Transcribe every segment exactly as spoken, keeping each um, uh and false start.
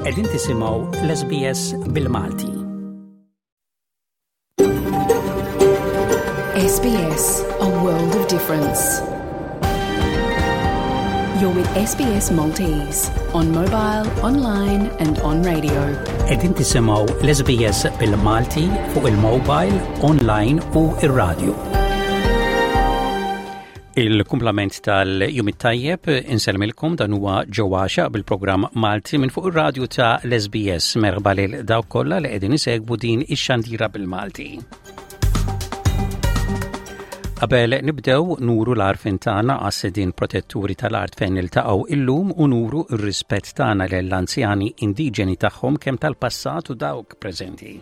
Qegħdin tisimgħu l-S B S bil-Malti. S B S, a world of difference. You're with S B S Maltese on mobile, online and on radio. Qegħdin tisimgħu l-S B S bil-Malti fuq il-mobile, online u ir-radio. Il-kumplament tal-jum it-tajjeb, insellmilkom, dan huwa ġewwaxa bil-programm Malti minn fuq ir-radju ta' l-S B S. Merħba lil dawk kollha li qegħdin isegwu din ix-xandira bil-Malti. Qabel nibdew, nuru l-għarfien tagħna għas-sidien protetturi tal-art fejn niltaqgħu illum u nuru r-rispett tagħna lill-anzjani indiġeni tagħhom, kemm tal-passat u dawk preżenti.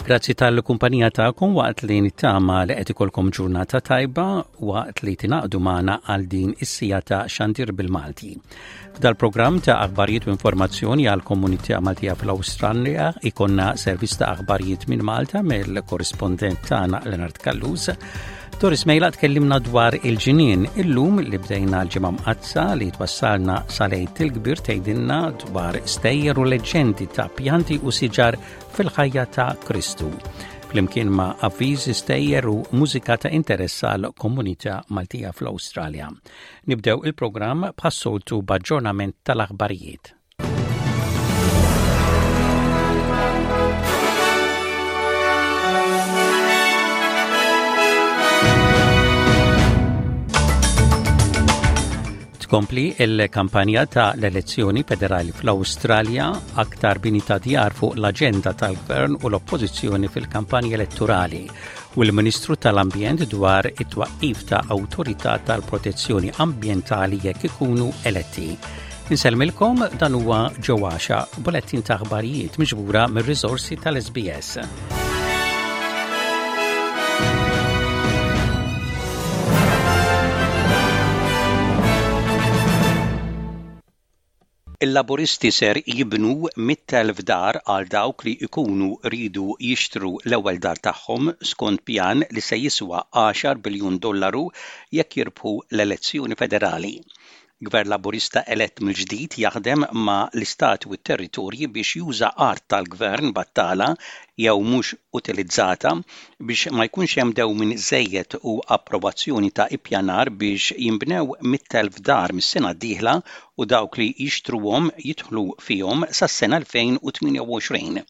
Grazzi tal-kumpanija tagħkom waqt li nittama li qed ikolkom ġurnata tajba waqt li tingħaqdu magħna għal din is-siegħa ta' xandir bil-Malti. F'dal-programm ta' aħbarijiet u informazzjoni għal komunità Maltija fl-Awstralja ikollna servizz ta' aħbarijiet minn Malta mill-korrispondent tagħna Leonard Callus. Doris Mejla tkellimna dwar il-ġinien illum li bdejna l-Ġimgħa Mqaddsa li twassalna sal-Għid il-Kbir, tgħidilna dwar stejjer u leġendi ta' pjanti u siġar fil-ħajja ta' Kristu. Flimkien ma' avviżi, stejjer u mużika ta' interess għal komunità Maltija fl-Awstralja. Nibdew il-programm bħas-soltu b'aġġornament tal-aħbarijiet. Tkompli il-kampanja ta' l-elezzjoni federali fl-Awstralja, aktar bini ta' djar fuq l-aġenda tal-gvern u l-oppożizzjoni fil-kampanja elettorali u l-Ministru tal-Ambjent dwar it-twaqqif ta' Awtorità tal-Protezzjoni Ambjentali jekk ikunu eletti. Insellmilkom, dan huwa ġewwaxa, bulettin ta' aħbarijiet miġbura mir-riżorsi tal-S B S. Il-Laburisti ser jibnu mitt elf dar għal dawk li jkunu ridu jixtru l-ewwel dar tagħhom skont pjan li se jiswa għaxar biljun dollaru jekk jirbħu l-elezzjoni federali. Gvern Laburista elett mill-ġdid jaħdem ma' l-istati u t-territorji biex juża art tal-gvern battala jew mhux utilizzata biex ma jkunx hemm dewmien żejjed u approvazzjoni ta' ippjanar biex jinbnew mitt elf dar mis-sena d-dieħla u dawk li jixtruhom jidħlu fihom sas-sena elfejn u tmienja u għoxrin.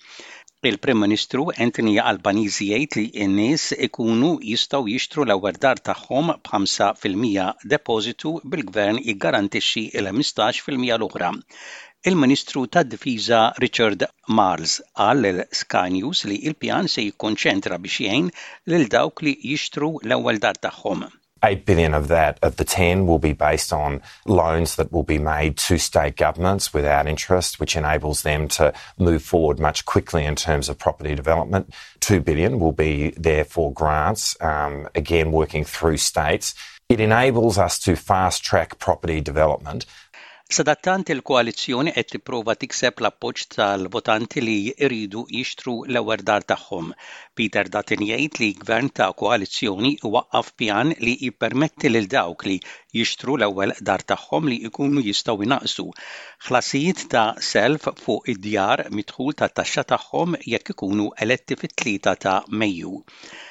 Il-Prim Ministru Anthony Albanese jgħid li n-nies ikunu jistgħu jixtru l-ewwel dar tagħhom b'ħamsa fil-mija depożitu, bil-gvern jiggarantixxi il-ħmistax fil-mija l-oħra. Il-Ministru tad-Difiża Richard Marles qal lil Sky News li il-pjan se jikkonċentra biex jgħin lil dawk li jixtru l-ewwel dar tagħhom. eight billion of that, of the ten, will be based on loans that will be made to state governments without interest, which enables them to move forward much quickly in terms of property development. two billion will be there for grants, um, again working through states. It enables us to fast track property development. Sadattant, il-koalizzjoni qed tipprova tikseb l-appoġġ tal-votanti li jridu jixtru l-ewwel dar tagħhom. Peter Dutton jgħid li gvern ta' koalizzjoni waqqaf pjan li jippermetti lil dawk li jixtru l-ewwel dar tagħhom li jkunu jistgħu jnaqsu ħlasijiet ta' self fuq id-djar mid-dħul tat-taxxa tagħhom jekk ikunu eletti fit-tlieta ta' Mejju.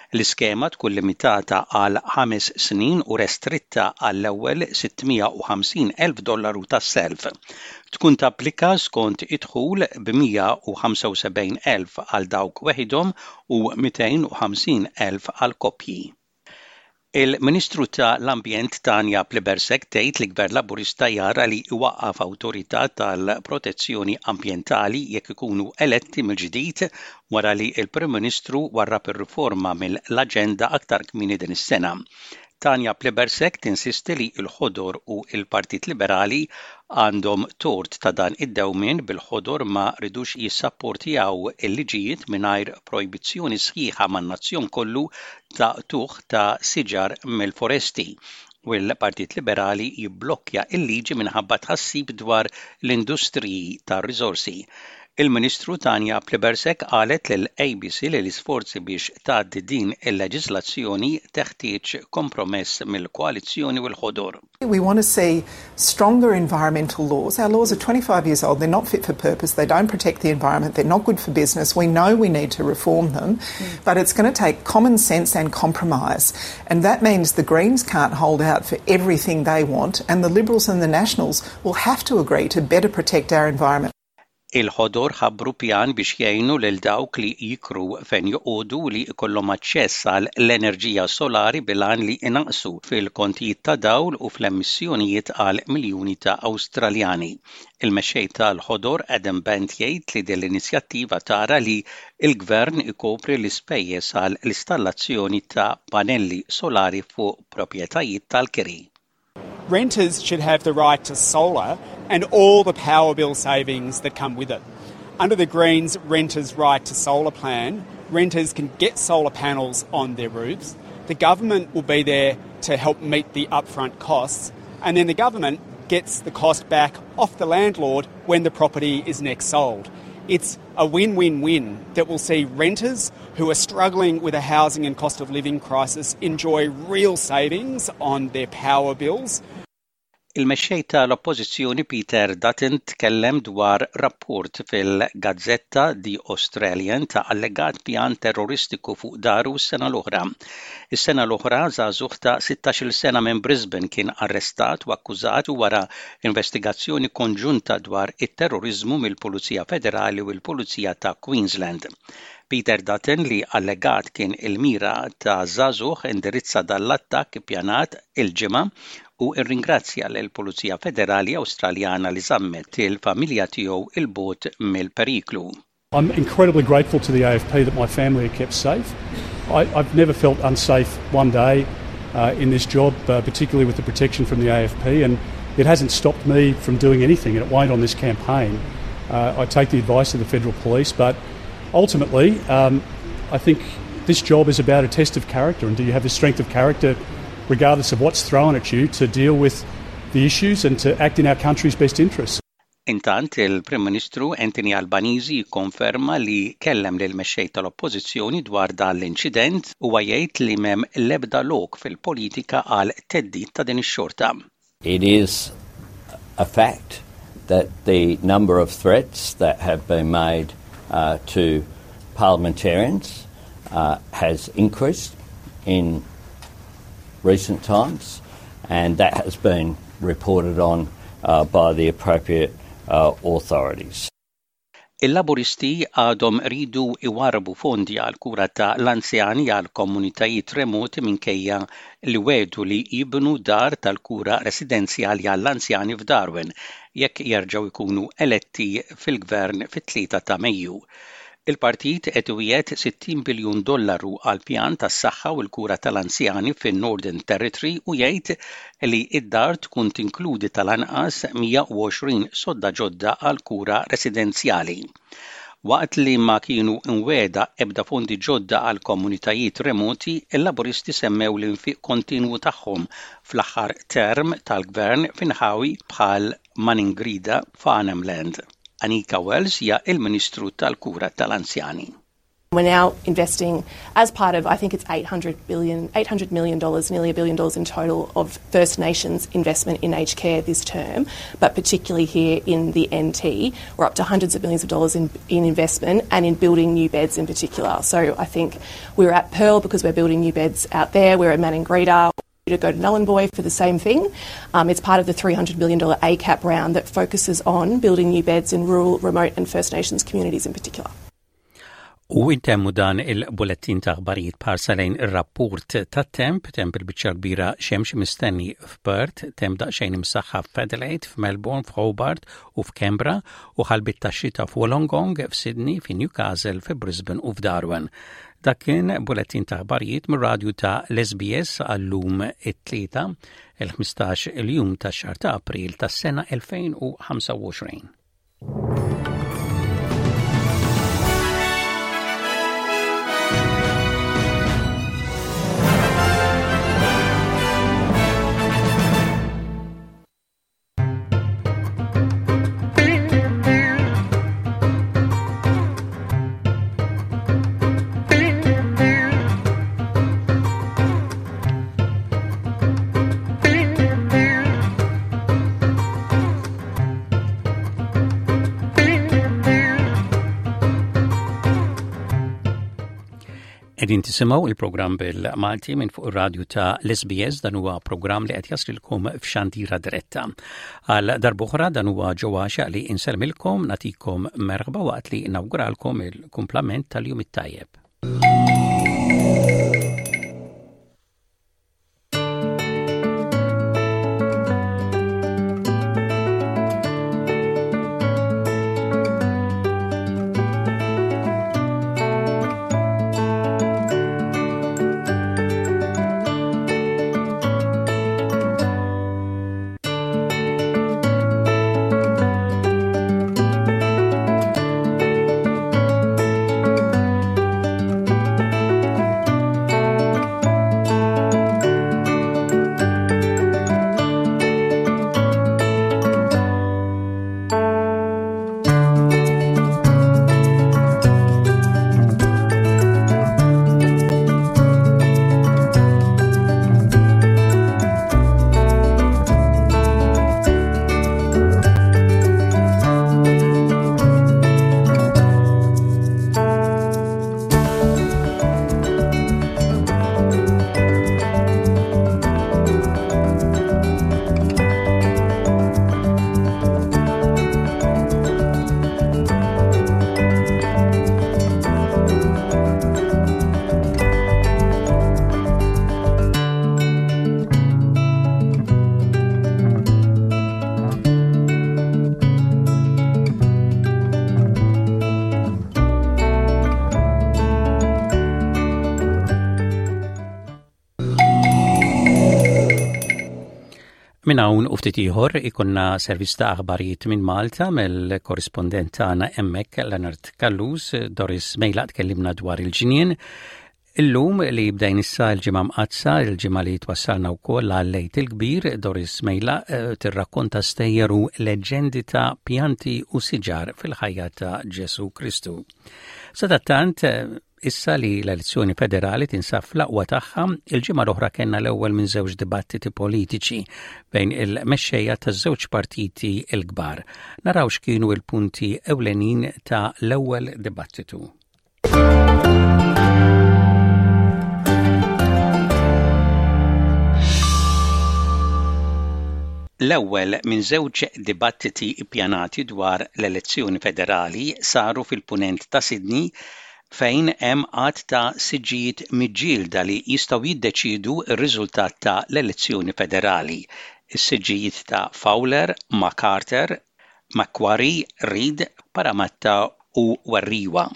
L-iskema tkun limitata għal ħames snin u restritta għall-ewwel sitt mija u ħamsin elf dollaru tas-self. Tkun tapplika skont id-dħul b'mija u ħamsa u sebgħin elf għal dawk weħidhom u mitejn u ħamsin elf għal koppji. Il-Ministru ta' l-Ambjent Tanya Plibersek tgħid li Gvern Laburista jara li iwaqqaf Awtorità tal-Protezzjoni Ambjentali jekk ikunu eletti mill-ġdid, wara li l-Prim Ministru warrab ir-riforma mill-aġenda aktar kmieni din is-sena. Tanya Plibersek tinsisti li l-Ħodor u l-Partit Liberali għandhom tort ta' dan id-dewmien, bil-Ħodor ma ridux jissapportjaw il-liġijiet mingħajr projbizzjoni sħiħa man-nazzjon kollu ta' qtugħ ta' siġar mill-foresti, u l-Partit Liberali jibblokkja il-liġi minħabba tħassib dwar l-industriji tar-riżorsi. Il-Ministru Tanya Plibersek qalet lil A B C li l-isforzi biex tgħaddi din il-leġislazzjoni teħtieġ kompromess mill-koalizzjoni u l-ħodor. We want to see stronger environmental laws. Our laws are twenty-five years old. They're not fit for purpose. They don't protect the environment. They're not good for business. We know we need to reform them, mm. but it's going to take common sense and compromise. And that means the Greens can't hold out for everything they want, and the Liberals and the Nationals will have to agree to better protect our environment. Il-ħodor ħabbru pjan biex jgħinu lil dawk li jikru fejn joqogħdu li jkollhom aċċess għal l-enerġija solari bil-għan li inaqqsu fil-kontijiet ta' dawl u fl-emissjonijiet għal miljuni ta' Awstraljani. Il-mexxej tal-ħodor Adam Bandt jgħid li din l-inizjattiva tara li l-gvern ikopri l-ispejjeż għal l-installazzjoni ta' panelli solari fuq proprjetajiet tal-kiri. Renters should have the right to solar and all the power bill savings that come with it. Under the Greens Renters' Right to Solar plan, renters can get solar panels on their roofs. The government will be there to help meet the upfront costs, and then the government gets the cost back off the landlord when the property is next sold. It's a win win win that will see renters who are struggling with a housing and cost of living crisis enjoy real savings on their power bills. Il-mexxej tal-Oppożizzjoni Peter Dutton tkellem dwar rapport fil-gazzetta The Australian ta' allegat pjan terroristiku fuq daru s-sena l-oħra. Is-sena l-oħra, żagħżugħ ta' sittax-il sena minn Brisbane kien arrestat u akkużat wara investigazzjoni konġunta dwar it-terrorizmu mill-Pulizija Federali u l-Pulizija ta' Queensland. Peter Dutton, li allegat kien il-mira ta' żagħżugħ, indirizza dal-attakk ippjanat il-Ġimgħa u rringrazzja lill-Pulizija Federali Awstraljana li żammet il-familja tiegħu 'il bogħod mill-periklu. I'm incredibly grateful to the A F P that my family are kept safe. I, I've never felt unsafe one day uh, in this job, uh, particularly with the protection from the A F P, and it hasn't stopped me from doing anything, and it won't on this campaign. Uh, I take the advice of the federal police, but ultimately, um, I think this job is about a test of character, and do you have the strength of character, regardless of what's thrown at you, to deal with the issues and to act in our country's best interests. Intant, il-Prim Ministru Anthony Albanese jikkonferma li kellem lil mexxej tal-Oppożizzjoni dwar dan l-inċident u jgħid li m'hemm l-ebda lok fil-politika għal theddid ta' din ix-xorta. It is a fact that the number of threats that have been made uh, to parliamentarians uh, has increased in recent times, and that has been reported on uh, by the appropriate uh, authorities. Il-Laburisti għadhom iridu iwarbu fondi għal kura ta' l-anzjani għal komunitajiet remoti minkejja li wegħdu li jibnu dar tal-kura residenzjali għall-anzjani f'Darwin jekk jerġgħu jkunu eletti fil-gvern fit-tlieta ta' Mejju. Il-partit qed iwiegħed sittin biljun dollaru għal pjan tas-saħħa u l-kura tal-anzjani fin-Northern Territory u jgħid li id-dar tkun tinkludi tal-anqas mija u għoxrin sodda ġodda għal kura residenzjali. Waqt li ma kienu imwiegħda ebda fondi ġodda għal komunitajiet remoti, il-Laburisti semmew l-infiq kontinwu tagħhom fl-aħħar term tal-gvern f'inħawi bħal Maningrida f'Arnhem Land. Anika Wells hija il-Ministru tal-Kura tal-Anzjani. We're now investing as part of, I think it's eight hundred billion, eight hundred million dollars, nearly a billion dollars in total of First Nations investment in aged care this term, but particularly here in the N T, we're up to hundreds of millions of dollars in, in investment and in building new beds in particular. So I think we're at Pearl because we're building new beds out there, we're at Maningrida to go to Nhulunbuy for the same thing. Um, it's part of the three hundred million dollars A CAP round that focuses on building new beds in rural, remote and First Nations communities in particular. U intemmu dan il-bulettin ta' aħbarijiet b'ħarsa lejn ir-rapport ta' temp, temp il-biċċa kbira xemx mistenni f'Perth, temp daqsxejn imsaħħab f'Adelaide, f'Melbourne, f'Hobart u f'Canberra u ħalbiet ta' xita f'Wollongong, f'Sydney, f'Newcastle, f'Brisbane u f'Darwin. Dak kien bulettin ta' aħbarijiet mir-radju ta' l-S B S għal-lum it-Tlieta, il-ħmistax il-jum ta' xahar ta' April tas-sena elfejn u ħamsa u għoxrin. Qegħdin tisimgħu il-programm bil-Malti minn fuq ir-radju ta' l-S B S. Dan huwa programm li qed jaslilkom f'xandira diretta. Għal darb'oħra, dan huwa ġewwaxa li insellmilkom, nagħtikom merħba waqt li nawguralkom il-kumplament tal-jum it-tajjeb. Minn hawn u ftit ieħor ikollna servizz ta' aħbarijiet minn Malta mill-korrispondent tagħna hemmhekk, Leonard Callus. Doris Mejla tkellimna dwar il-ġnien. Illum li bdejn issa l-Ġimgħa Mqaddsa, il-ġimgħa li twassalna wkoll għal il-Kbir, Doris Mejla eh, tirrakkonta stejjer u leġendi ta' pjanti u siġar fil-ħajja ta' Ġesu Kristu. Sadattant, eh, issa li l-elezzjoni federali tinsab fl-aqwa tagħha, il-ġimgħa l-oħra kellna l-ewwel minn żewġ dibattiti politiċi bejn il-mexxejja taż-żewġ partiti l-kbar. Naraw x'kienu l-punti ewlenin ta' l-ewwel dibattitu. L-ewwel minn żewġ dibattiti ippjanati dwar l-elezzjoni federali saru fil-punent ta' Sydney, fejn hemm għadd ta' siġġijiet miġġielda li jistgħu jiddeċidu r-riżultat ta' l-elezzjoni federali. Is-siġġijiet ta' Fowler, Macarthur, Macquarie, Reid, Parramatta u Werriwa.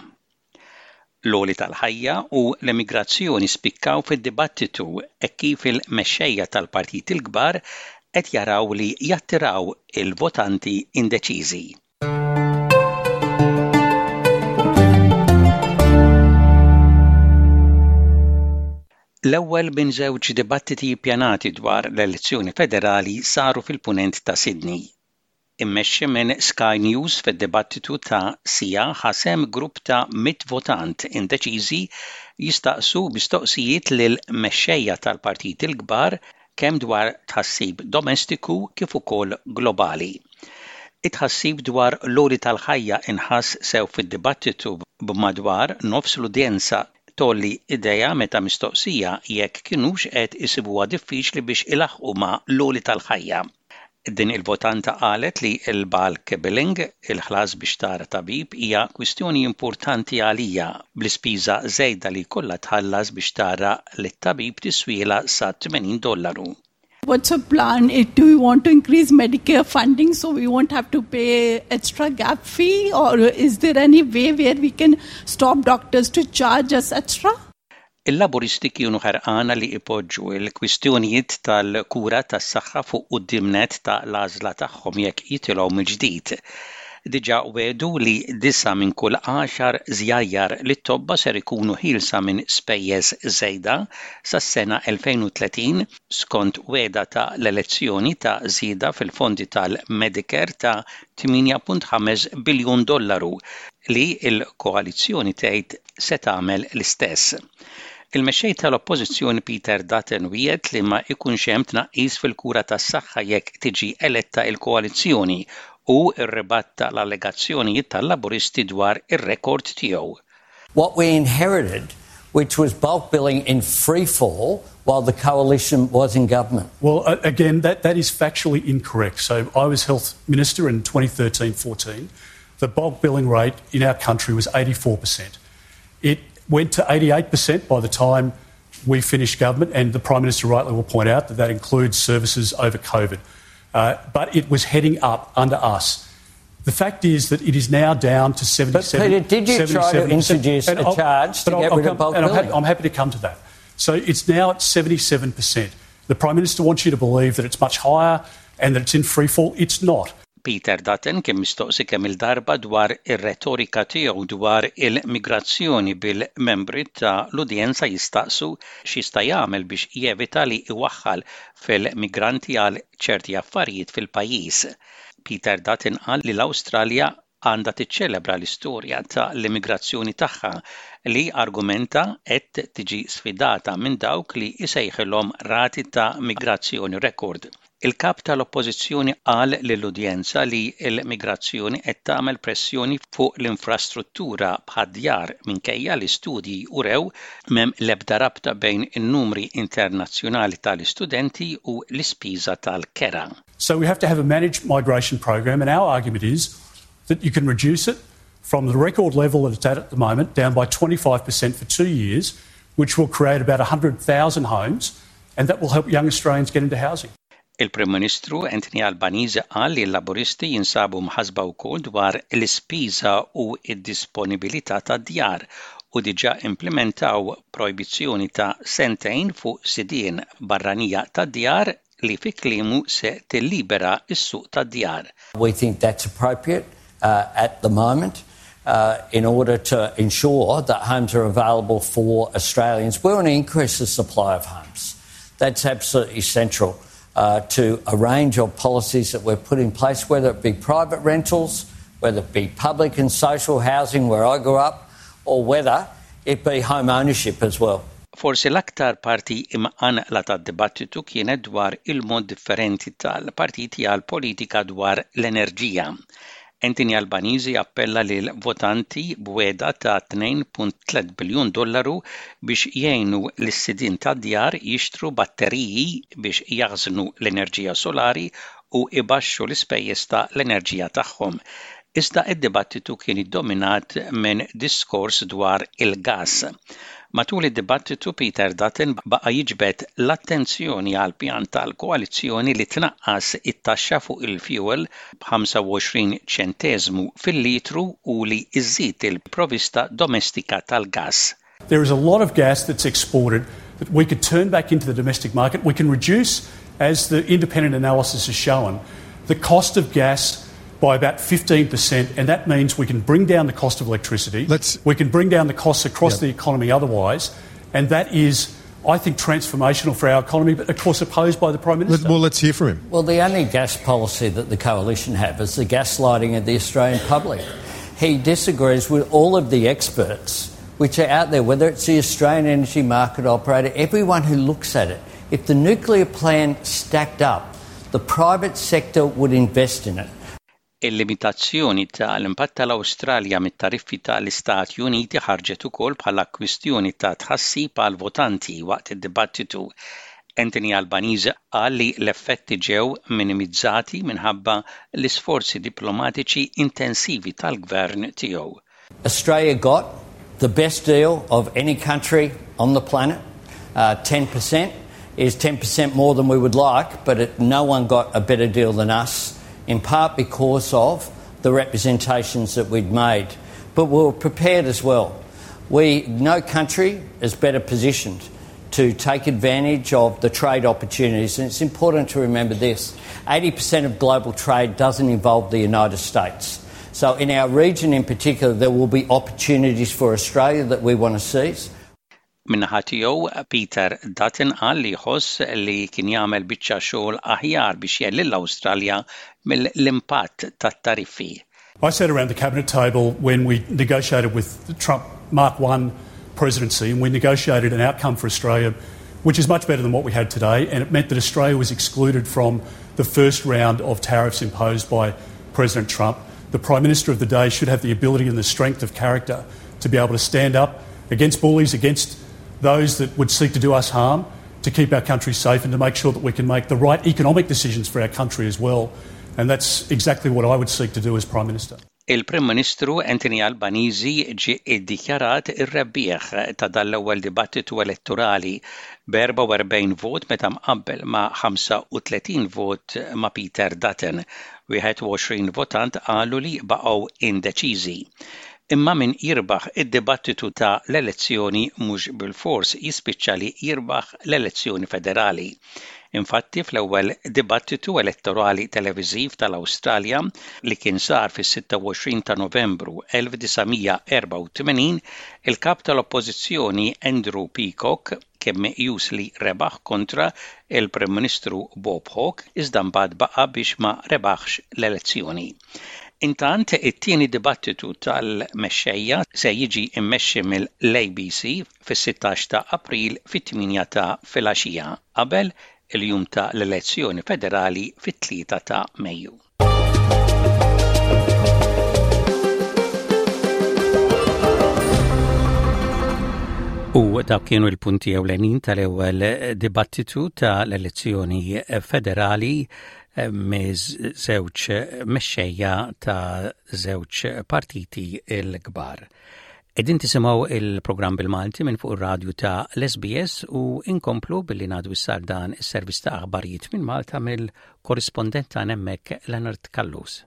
L-għoli tal-ħajja u l-immigrazzjoni spikkaw fid-dibattitu e kif il-mexxejja tal-partit il-kbar qed jaraw li jattiraw il-votanti indeċiżi. L-ewwel minn żewġ dibattiti ppjanati dwar l-elezzjoni federali saru fil-punent ta' Sydney. Immexxi minn Sky News, fid-dibattitu ta' siegħa ħa sehem grupp ta' mitt votant indeċiżi jistaqsu mistoqsijiet lil mexxejja tal-partit il-kbar kemm dwar tħassib domestiku kif ukoll globali. It-tħassib dwar l-għoli tal-ħajja inħass sew fid-dibattitu, b'madwar nofs l-udjenza tgħolli idejha meta mistoqsija jekk kinux qed isibuha diffiċli biex ilaħqu ma' l-għoli tal-ħajja. Din il-votanta qalet li l-bulk billing, il-ħlas biex tara tabib, hija kwistjoni importanti għalija, bl-ispiża żejda li kollha tħallas biex tara lit-tabib tiswiela sa tmenin dollaru. What's your plan? Do we want to increase Medicare funding so we won't have to pay extra gap fee? Or is there any way where we can stop doctors to charge us extra? Il-Laburisti kienu ħerqana li ipoġġu il-kwistjonijiet tal-kura tas-saħħa fuq quddiem nett ta' l-għażla tagħhom jekk jitilgħu mill-ġdid. Diġà wegħdu li disa' minn kull għaxar żjajjar lit-tobba ser ikunu ħielsa minn spejjeż żejda sas-sena elfejn u tletin, skont wegħda ta' l-elezzjoni ta' żieda fil-fondi tal-Medicare ta' tmienja punt ħames biljun dollaru, li l-koalizzjoni tgħid se tagħmel l-istess. Il-mexxej tal-Oppożizzjoni Peter Dutton wiegħed li ma ikunx hemm tnaqqis fil-kura tas-saħħa jekk tiġi eletta il-koalizzjoni u rribatta l-allegazzjonijiet tal-Laburisti dwar ir-rekord tiegħu. What we inherited which was bulk billing in free fall while the coalition was in government. Well, again, that, that is factually incorrect. So I was health minister in twenty thirteen fourteen. The bulk billing rate in our country was eighty-four percent. It went to eighty-eight percent by the time we finished government, and the Prime Minister rightly will point out that that includes services over COVID. Uh, but it was heading up under us. The fact is that it is now down to seventy-seven. But Peter, did you try to introduce a charge to get rid of bulk billing? I'm, I'm happy to come to that. So it's now at seventy-seven percent. The Prime Minister wants you to believe that it's much higher and that it's in free fall. It's not. Peter Dutton kien mistoqsi kemm il-darba dwar ir-retorika tiegħu dwar il-migrazzjoni bil-membri ta' l-udjenza jistaqsu x'jista' jagħmel biex jevita li iwaħħal fil-migranti għal ċerti affarijiet fil-pajjiż. Peter Dutton qal li l-Awstralja għandha tiċċelebra l-istorja ta' l-immigrazzjoni tagħha li argumenta qed tiġi sfidata minn dawk li jsejħilhom rati ta' migrazzjoni rekord. Il-kap tal-Oppożizzjoni qal lill-udjenza li l-migrazzjoni qed tagħmel pressjoni fuq l-infrastruttura bħad-djar minkejja li studji urew m'hemm l-ebda rabta bejn in-numri internazzjonali tal-istudenti u l-ispiża tal-kera. So we have to have a managed migration program, and our argument is that you can reduce it from the record level that it's at at the moment down by twenty-five percent for two years, which will create about a hundred thousand homes, and that will help young Australians get into housing. Il-Prim Ministru Anthony Albanese qal li l-Laburisti jinsabu mħasba wkoll dwar l-ispiża u d-disponibilità tad-djar u diġà implementaw projbizzjoni ta' sentejn fuq sidien barranija tad-djar li fi kliemu se tillibera s-suq tad-djar. We think that's appropriate, uh, at the moment, uh, in order to ensure that homes are available for Australians. We want to increase the supply of homes. That's absolutely central, uh, to a range of policies that we've put in place, whether it be private rentals, whether it be public and social housing where I grew up, or whether it be home ownership as well. Forsi l-aktar parti imqanqla tad-dibattitu kienet dwar il-mod differenti tal-partiti għal politika dwar l-enerġija. Anthony Albanese appella lil votanti b'wegħda ta' tnejn punt tliet biljun dollaru biex jgħinu lis-sidien tad-djar jixtru batteriji biex jaħżnu l-enerġija solari u ibaxxu l-ispejjeż ta' l-enerġija tagħhom. Iżda id-dibattitu kien iddominat minn diskors dwar il-gas. Matul id-dibattitu Peter Dutton baqa' jiġbed l-attenzjoni għal pjan tal-koalizzjoni li tnaqqas it-taxxa fuq il-fuel b'ħamsa u għoxrin ċenteżmu fil-litru u li iżid il-provista domestika tal-gas. There is a lot of gas that's exported that we could turn back into the domestic market. We can reduce, as the independent analysis has shown, the cost of gas by about fifteen percent, and that means we can bring down the cost of electricity. Let's, we can bring down the costs across yeah. the economy otherwise, and that is, I think, transformational for our economy, but of course opposed by the Prime Minister. Let, well, let's hear from him. Well, the only gas policy that the coalition have is the gaslighting of the Australian public. He disagrees with all of the experts which are out there, whether it's the Australian Energy Market Operator, everyone who looks at it. If the nuclear plan stacked up, the private sector would invest in it. Il-limitazzjoni tal-impatt tal-Awstralja mit-tariffi tal-Istati Uniti ħarġet ukoll bħala kwistjoni ta' tħassib għal votanti waqt id-dibattitu. Anthony Albanese qal li l-effetti ġew minimizzati minħabba l-isforzi diplomatiċi intensivi tal-gvern tiegħu. Australia got the best deal of any country on the planet. Uh, ten percent is ten percent more than we would like, but it, no one got a better deal than us, in part because of the representations that we'd made. But we were prepared as well. We, no country is better positioned to take advantage of the trade opportunities. And it's important to remember this. eighty percent of global trade doesn't involve the United States. So in our region in particular, there will be opportunities for Australia that we want to seize. Min-naħa tiegħu, Peter Dutton qal li jħoss li kien jagħmel biċċa xogħol aħjar biex jgħin lill-Awstralja mill-impatt tat-tariffi. I sat around the cabinet table when we negotiated with the Trump Mark one presidency, and we negotiated an outcome for Australia which is much better than what we had today, and it meant that Australia was excluded from the first round of tariffs imposed by President Trump. The Prime Minister of the day should have the ability and the strength of character to be able to stand up against bullies, against those that would seek to do us harm, to keep our country safe and to make sure that we can make the right economic decisions for our country as well. And that's exactly what I would seek to do as Prime Minister. Il-Prim Ministru Anthony Albanese ġie iddikjarat ir-rebbieħ ta' dan l-ewwel dibattitu elettorali b'erbgħa u erbgħin vot meta mqabbel ma' ħamsa u tletin vot ma' Peter Dutton. Wieħed u għoxrin votant qalu li baqgħu indeċiżi. Imma min jirbaħ id-dibattitu ta' l-elezzjoni mhux bil-fors jispiċċa li jirbaħ l-elezzjoni federali. Infatti, fl-ewwel dibattitu elettorali televiżiv tal-Awstralja li kien sar fis-sitta u għoxrin ta' Novembru elf disa' mija erbgħa u tmenin, il-kap tal-Oppożizzjoni Andrew Peacock kien meqjus li rebaħ kontra il-Prim Ministru Bob Hawke, iżda mbagħad baqa' biex ma rebaħx l-elezzjoni. Intant, it-tieni dibattitu tal-mexxejja se jiġi immexxi mill-A B C fis-sittax ta' April fit-tmienja ta' filgħaxija qabel il-jum ta' l-elezzjoni federali fit-tlieta ta' Mejju. U dak kienu l-punti ewlenin tal-ewwel dibattitu tal-elezzjoni federali miż-żewġ mexxejja ta' żewġ partiti l-kbar. Qegħdin tisimgħu il-programm bil-Malti minn fuq ir-radju ta' l-S B S u inkomplu billi ngħaddu issa dan is-servizz ta' aħbarijiet minn Malta mill-korrispondent ta' hemmhekk, Leonard Callus.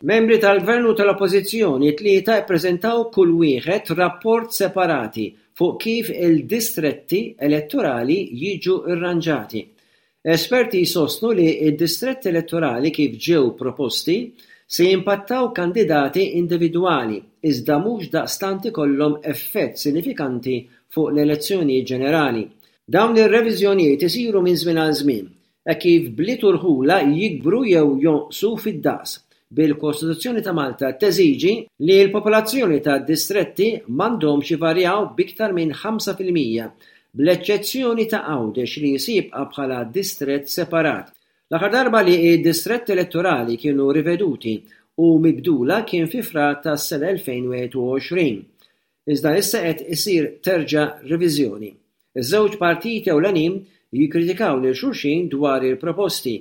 Membri tal-Gvern u tal-Oppożizzjoni tlieta ppreżentaw kull wieħed rapport separati fuq kif il-distretti elettorali jiġu rranġati. Esperti jsostnu li d-distretti elettorali kif ġew proposti se jimpattaw kandidati individwali iżda mhux daqstant ikollhom effett sinifikanti fuq l-elezzjonijiet ġenerali. Dawn ir-reviżjonijiet isiru minn żmien għal żmien, hekk kif bliet u rħula jikbru jew jonqsu fid-daqs, bil-Kostituzzjoni ta' Malta teżiġi li l-popolazzjoni ta' distretti m'għandhomx ivarjaw b'iktar minn ħamsa fil-mija, bl-eċċezzjoni ta' Għawdex li jibqa' bħala distrett separat. L-aħħar darba li d-distretti elettorali kienu riveduti u mibdula kien fi Frar tas-sena elfejn u wieħed u għoxrin. Iżda issa qed isir terġa' reviżjoni. Iż-żewġ partiti ewlenin jikkritikaw lil xulxin dwar il-proposti.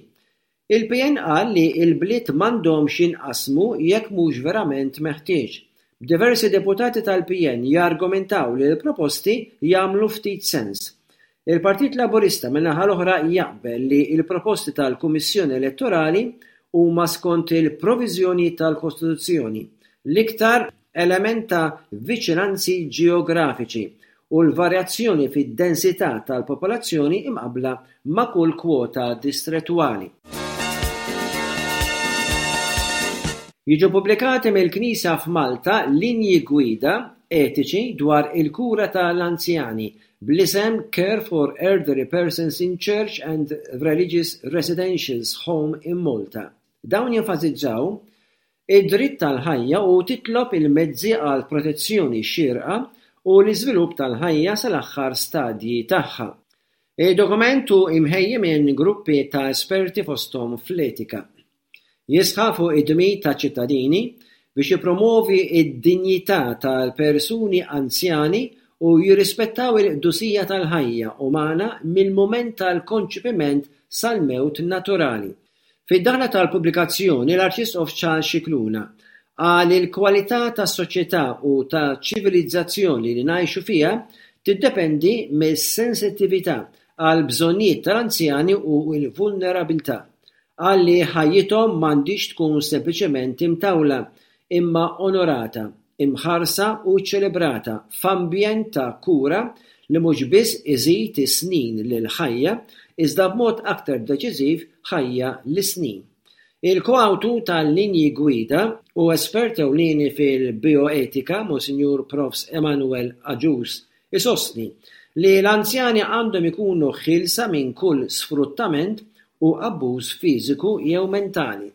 Il-P N qal li l-bliet m'għandhomx jinqasmu jekk mhux verament meħtieġ. Diversi deputati tal-P N jargumentaw li l-proposti jagħmlu ftit sens. Il-Partit Laburista min-naħa l-oħra jaqbel li l-proposti tal-Kummissjoni Elettorali huma skont il-proviżjoni tal-Kostituzzjoni, l-iktar element ta' viċinanzi ġeografiċi u l-varjazzjoni fid-densità tal-popolazzjoni imqabbla ma' kull kwota distrettwali. Jiġu pubblikati mill-Knisja f'Malta linji gwida etiċi dwar il-kura tal-anzjani bl-isem Care for Elderly Persons in Church and Religious Residentials Home in Malta. Dawn jenfasizzaw id-dritt tal-ħajja u titlob il-mezzi għal protezzjoni xierqa u l-iżvilupp tal-ħajja sal-aħħar stadji tagħha. Id-dokument hu imħejji minn gruppi ta' esperti fosthom fl-etika. Jisħaq fuq id-dmir ta' ċittadini biex jipromovi id-dinjità tal-persuni anzjani u jirrispettaw il-qdusija tal-ħajja umana mill-mument tal-konċepiment sal-mewt naturali. Fid-daħla tal-pubblikazzjoni, l-Arċisqof Charles Scicluna qal il-kwalità tas-soċjetà u ta' ċivilizzazzjoni li ngħixu fiha tiddependi mis-sensittività għal bżonnijiet tal-anzjani u l-vulnerabilità. Qal li ħajjithom m'għandix tkun sempliċement imtawla imma onorata, imħarsa u ċelebrata f'ambjent ta' kura li mhux biss iżid is-snin lil ħajja iżda b'mod aktar deċiżiv ħajja lis-snin. Il-koawtur tal-linji gwida u espert ewlieni fil-bioetika, Monsinjur Profs Emanuel Agius, isostni li l-anzjani għandhom ikunu ħielsa minn kull sfruttament u abbuż fiżiku jew mentali.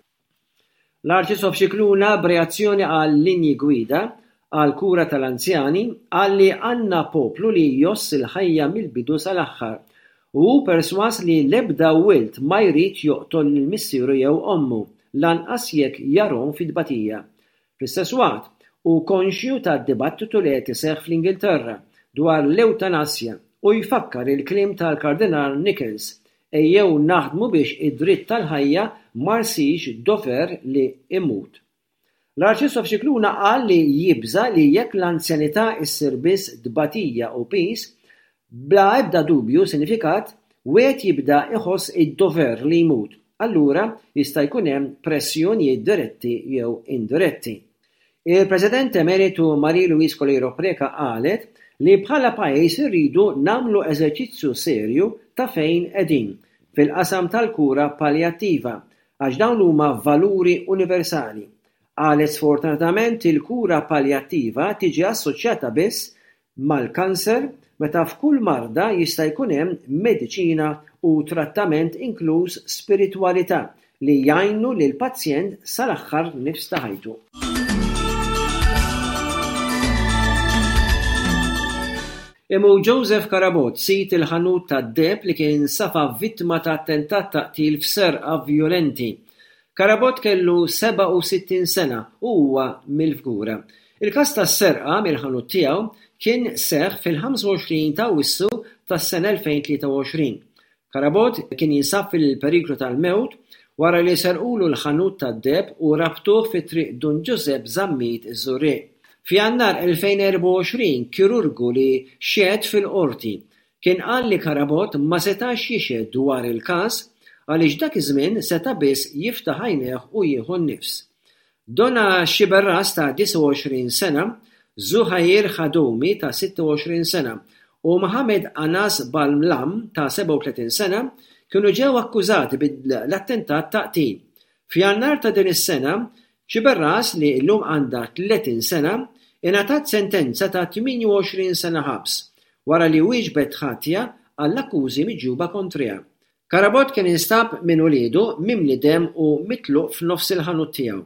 L-Arċisqof Scicluna, b'reazzjoni għal linji gwida għal kura tal-anzjani, qal li għandna poplu li jgħożż il-ħajja mill-bidu sal-aħħar u hu perswas li l-ebda wild ma jrid joqtol lil missieru jew ommu, lanqas jekk jarahom fit-tbatija. Fl-istess waqt, Hu konxju tad-dibattitu li qed iseħħ fl-Ingilterra dwar l-ewtanasja u jfakkar il-kliem tal-Kardinal Nichols ejjew naħdmu biex id-dritt tal-ħajja ma jsirx dover li imut. L-Arċisqof Scicluna qal li jibża li jekk l-anzjanità issir biss tbatija u piż, bla ebda dubju sinifikat, wieħed jibda iħoss id-dover li jmut. Allura jista' jkun hemm pressjonijiet diretti jew indiretti. Il-President Emeritu Marie Louise Coleiro Preca qalet li bħala pajjiż irridu nagħmlu eżerċizzju serju ta' fejn qegħdin fil-qasam tal-kura paljattiva għax dawn huma valuri universali. Qalet sfortunatament il-kura paljattiva tiġi assoċjata biss mal-kanser meta f'kull marda jista' jkun hemm mediċina u trattament inkluż spiritwalità li jgħinu lil pazjent sal-aħħar nifs ta' ħajtu. Imut Joseph Carabott, sid il-ħanut tad-deheb li kien safa vittma ta' attentat ta' qtil f'serqa vjolenti. Carabott kellu sebgħa u sittin sena u huwa mill-Fgura. Il-każ tas-serqa mill-ħanut tiegħu kien seħħ fil-ħamsa u għoxrin ta' Awwissu tas-sena elfejn tlieta u għoxrin. Carabott kien jinsab fil-periklu tal-mewt wara li serqulu l-ħanut tad-deheb u rabtuh fi triq Dun Giuseppe Zammit iż-Żurrieq. F'Jannar elfejn erbgħa u għoxrin, kirurgu li xehed fil-qorti kien qal li Carabott ma setax jixhed dwar il-każ għaliex dak iż-żmien seta' biss jiftaħ għajnejh u jieħu n-nifs. Donna Sciberras ta' disgħa u għoxrin sena, Zuhair Khadoumi ta' sitta u għoxrin sena u Mohamed Anas Balmlam ta' sebgħa u tletin sena kienu ġew akkużati bil-attentat ta' qtil. F'Jannar ta' din is-sena, Sciberras li llum għandha tletin sena ingħatat sentenza ta' tmienja u għoxrin sena ħabs wara li wieġbet ħatja għall-akkużi miġjuba kontriha. Carabott kien instab minn uliedu mimli dem u mitluq f'nofs il-ħanut tiegħu.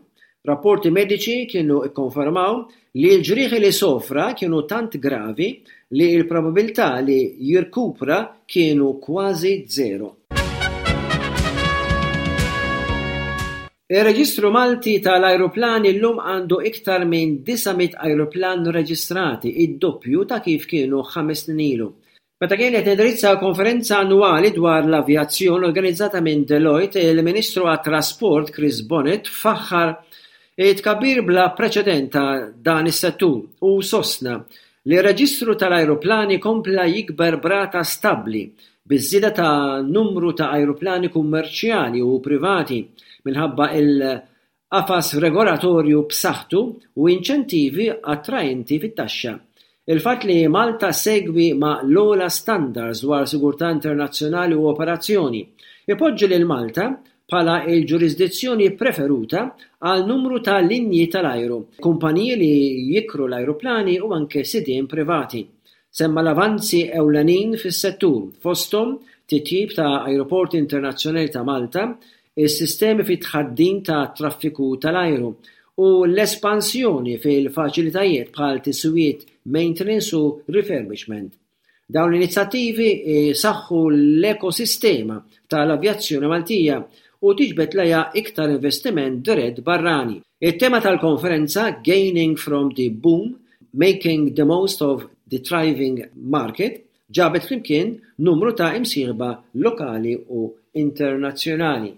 Rapporti mediċi kienu ikkonfermaw li l-ġrieħi li sofra kienu tant gravi li l-probabilità li jirkupra kienu kważi zero. Ir-Reġistru Malti tal-Ajruplani llum għandu iktar minn disa' mitt ajruplan reġistrati, id-doppju ta' kif kienu ħames snin ilu. Meta kien qed indirizza konferenza annwali dwar l-avjazzjoni organizzata minn Deloitte, il-Ministru għat-Trasport Chris Bonett faħħar it-tkabbir bla preċedent ta' dan is-settur u sostna li r-reġistru tal-ajruplani kompla jikber b'rata stabbli biż-żieda ta' numru ta' ajruplani kummerċjali u privati minħabba il-qafas regolatorju b'saħħtu u inċentivi attraenti fit-taxxa. Il-fatt li Malta segwi ma' l-ogħla standards dwar sigurtà internazzjonali u operazzjoni ipoġġi lil Malta bħala il-ġurisdizzjoni preferuta għal numru ta' linji tal-ajru, kumpaniji li jikru l-ajruplani u anke sidien privati. Semma l-avanzi ewlenin fis-settur, fosthom titjib ta' ajruporti internazzjonali ta' Malta, is-sistemi fit-tħaddim ta' traffiku tal-ajru u l-espansjoni fil-faċilitajiet bħal tiswijiet, maintenance u refurbishment. Dawn l-inizjattivi saħħu l-ekosistema tal-avjazzjoni Maltija u tiġbed lejha iktar investiment dirett barrani. Il-tema tal-konferenza Gaining from the Boom, Making the Most of the Thriving Market ġabet flimkien numru ta' imsieħba lokali u internazzjonali.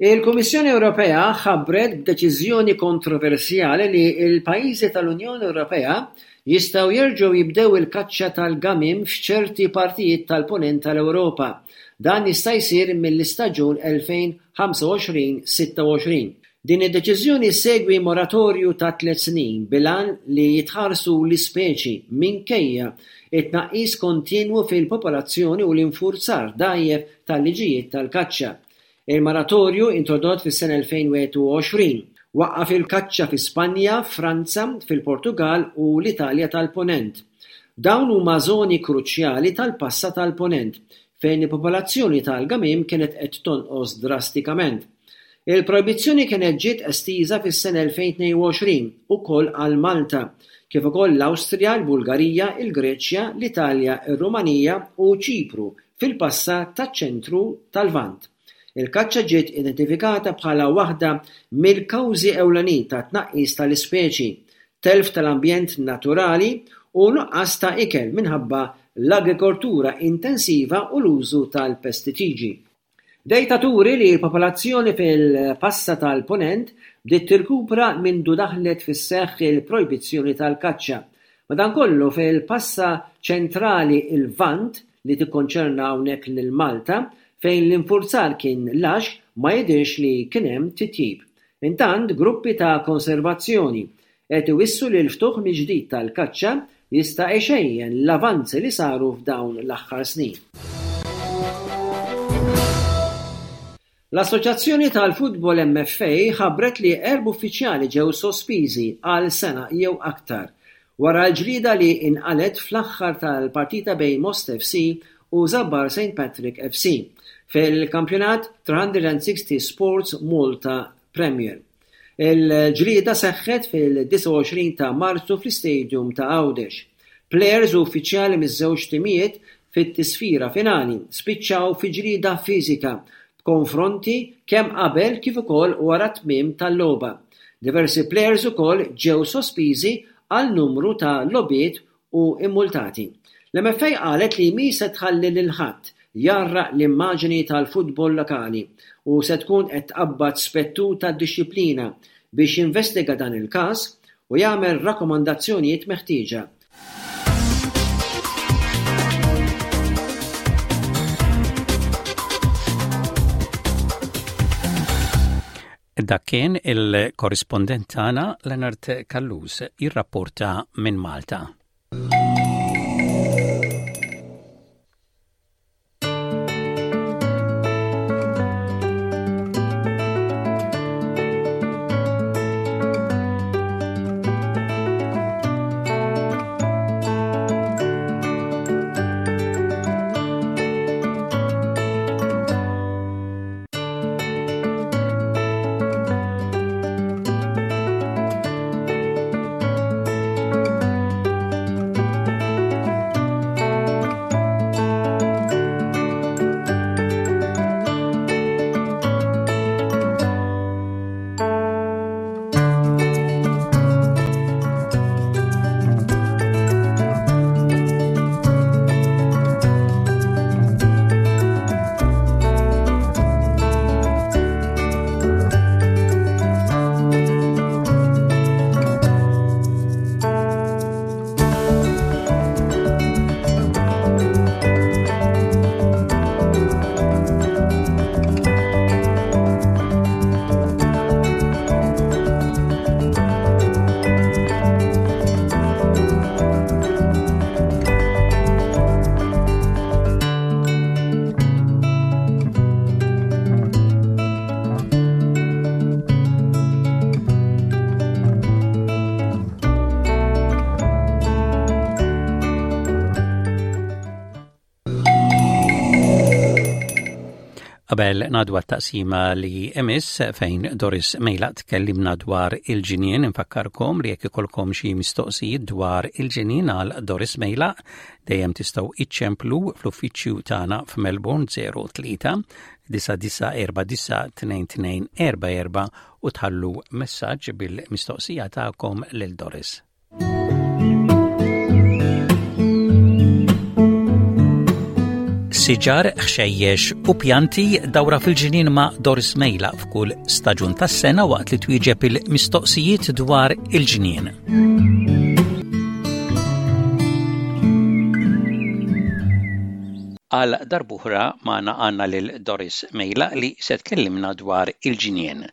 Il-Kummissjoni Ewropea ħabbret b'deċiżjoni kontroversjali li l-pajjiżi tal-Unjoni Ewropea jistgħu jerġgħu jibdew il-kaċċa tal-gamiem f'ċerti partijiet tal-punent tal-Ewropa. Dan jista' jsir mill-istaġun elfejn ħamsa u għoxrin sitta u għoxrin. Din id-deċiżjoni segwi moratorju ta' tliet snin bil-għan li jitħarsu l-ispeċi minkejja it-tnaqqis kontinwu fil-popolazzjoni u l-infurzar dgħajjef tal-liġijiet tal-kaċċa. Il-moratorju introdott fis-sena elfejn wieħed u għoxrin waqqaf il-kaċċa fi Spanja, Franza, fil-Portugal u l-Italja tal-Ponent. Dawn huma żoni kruċjali tal-passa tal-Ponent fejn il-popolazzjoni tal-gamiem kienet qed tonqos drastikament. Il-projbizzjoni kienet ġiet estiża fis-sena elfejn tnejn u għoxrin ukoll għal Malta, kif ukoll l-Awstrija, l-Bulgarija, il-Greċja, l-Italja, ir-Rumanija u Ċipru fil-passa taċ-ċentru tal-Lvant. Il-kaċċa ġiet identifikata bħala waħda mill-kawżi ewlenin ta' tnaqqis tal-ispeċi, telf tal-ambjent naturali u nuqqas ta' ikel minħabba l-agrikoltura intensiva u l-użu tal-pestiċidi. Dejta turi li l-popolazzjoni fil-passa tal-Punent bdiet tirkupra mindu daħlet fis-seħħ il-projbizzjoni tal-kaċċa. Madankollu fil-passa ċentrali il-Lvant li tikkonċerna hawnhekk lil Malta fejn l-infurzar kien lax ma jidhirx li kien hemm titjib. Intant gruppi ta' konservazzjoni qed iwissu li l-ftuħ mill-ġdid tal-kaċċa jista' jxejjen l-avanzi li saru f'dawn l-aħħar snin. L-Assoċjazzjoni tal-Futbol M F A ħabbret li erba' uffiċjali ġew sospiżi għal sena jew aktar wara l-ġlida li inqalet fl-aħħar tal-partita bejn Most F C u Żabbar Saint Patrick F C fil-kampjonat three sixty Sports Malta Premier. Il-ġlieda seħħet fil-disgħa u għoxrin ta' Marzu fl-Istadium ta' Għawdex. Players u uffiċjali miż-żewġ timijiet fit-tisfira finali spiċċaw fi ġlieda fiżika b'konfronti kemm qabel kif ukoll wara tmiem tal-logħba. Diversi players ukoll ġew sospiżi għal numru ta' logħbiet u immultati. L-M F A qalet li mi se tħalli lil ħadd jgħarraq l-immaġini tal-futbol lokali u se tkun qed tqabbad spettur tad-dixxiplina biex jinvestiga dan il-każ u jagħmel rakkomandazzjonijiet meħtieġa. Dak kien il-korrispondent tagħna Leonard Callus jirrapporta minn Malta. Qabel ngħaddu għat-taqsima li jmiss fejn Doris Mejlaq tkellimna dwar il-ġinien, infakkarkom li jekk ikolkom xi mistoqsijiet dwar il-ġinien għal Doris Mejlaq dejjem tistgħu iċċemplu fl-uffiċċju tagħna f'Melbourne zero tlieta disa disa erba disa tnejn tnejn erba erba u tħallu messaġġ bil-mistoqsija tagħkom lil Doris. Siġar, ħxejjex u pjanti, dawra fil-ġinien ma' Doris Mejlaq f'kull staġun tas-sena waqt li twieġeb il-mistoqsijiet dwar il-ġinien. Għal darb'oħra magħna għandna lil Doris Mejlaq li se tkellimna dwar il-ġinien.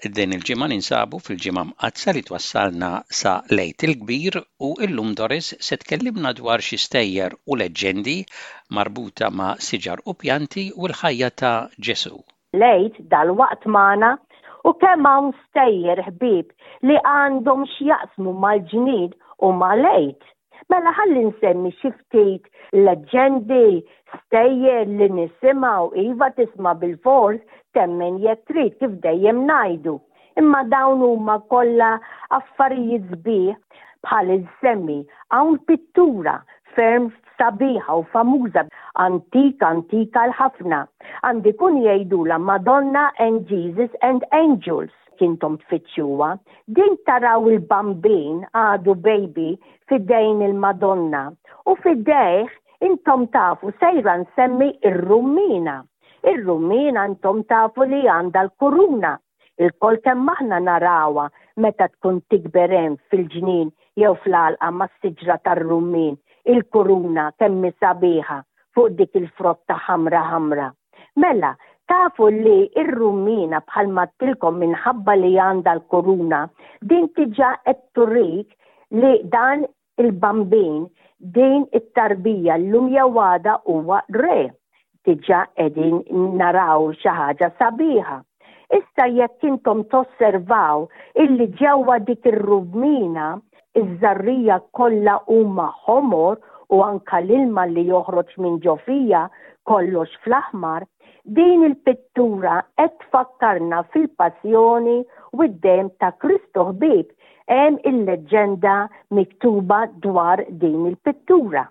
Din il-ġimgħa ninsabu fil-ġimgħa mqaddsa li twassalna sa l-Għid il-Kbir u illum Doris se tkellimna dwar xi stejjer u leġġendi marbuta ma' siġar u pjanti u l-ħajja ta' Ġesu. L-Għid dalwaqt magħna u kemm hawn stejjer ħbieb li għandhom x'jaqsmu mal-ġnien u mal-Għid. Mela ħalli nsemmi xi ftit leġġendi, stejjer li nisimgħu, iva, tisma' bil-fors, temmen jekk trid, kif dejjem ngħidu. Imma dawn huma kollha affarijiet sbieħ. Bħal insemmi hawn pittura ferm sabiħa u famuża. antika antika l-ħafna. Għandi kun jgħidula Madonna and Jesus and Angels kintom tfittxuha. Din taraw il-bambin għadu baby f'idejn il-Madonna u f'idejh intom tafu sejra nsemmi ir-rummina. Ir-rummina intom tafu li għandha l-kuruna. Ilkoll kemm aħna narawha meta tkun tikber hemm fil-ġnien jew fl-għalqa mas-siġra tar-rummin, il-kuruna kemm sabiħa fuq dik il-frotta ħamra ħamra. Mela, tafu li ir-rummina bħalma għedtilkom minħabba li għandha l-kuruna, din diġà qed turik li dan il-bambin, din it-tarbija llum jew għada huwa re. Diġà qegħdin naraw xi ħaġa sabiħa. Issa jekk intom tosservaw illi ġewwa dik ir-rummina iż-żarrija kollha huma ħomor u anka l-ilma li joħroġ minn ġo fiha kollox fl-aħmar, din il-pittura qed tfakkarna fil-passjoni u d-dem ta' Kristu ħbieb. Hemm il-leġġenda miktuba dwar din il-pittura.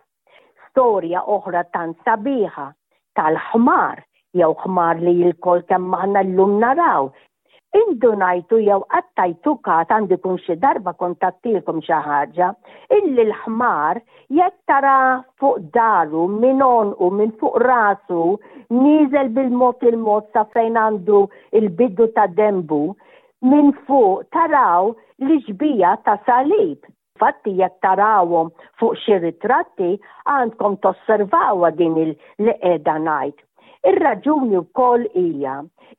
Storja oħra tant sabiħa tal-ħmar jew ħmar li lkoll kemm aħna llum naraw. Indunajtu jew qatt tajtu kas, għandi kun xi darba kont għedtilkom xi ħaġa, illi l-ħmar jekk tara fuq daru minn u minn fuq rasu nieżel bil-mod il-mod sa fejn għandu il-bidu ta' dembu, minn fuq taraw l-ixbija ta' salib. Fatti jekk tarawhom fuq xi ritratti għandkom tosservawha din li qiegħda ngħid. Ir-raġuni wkoll hija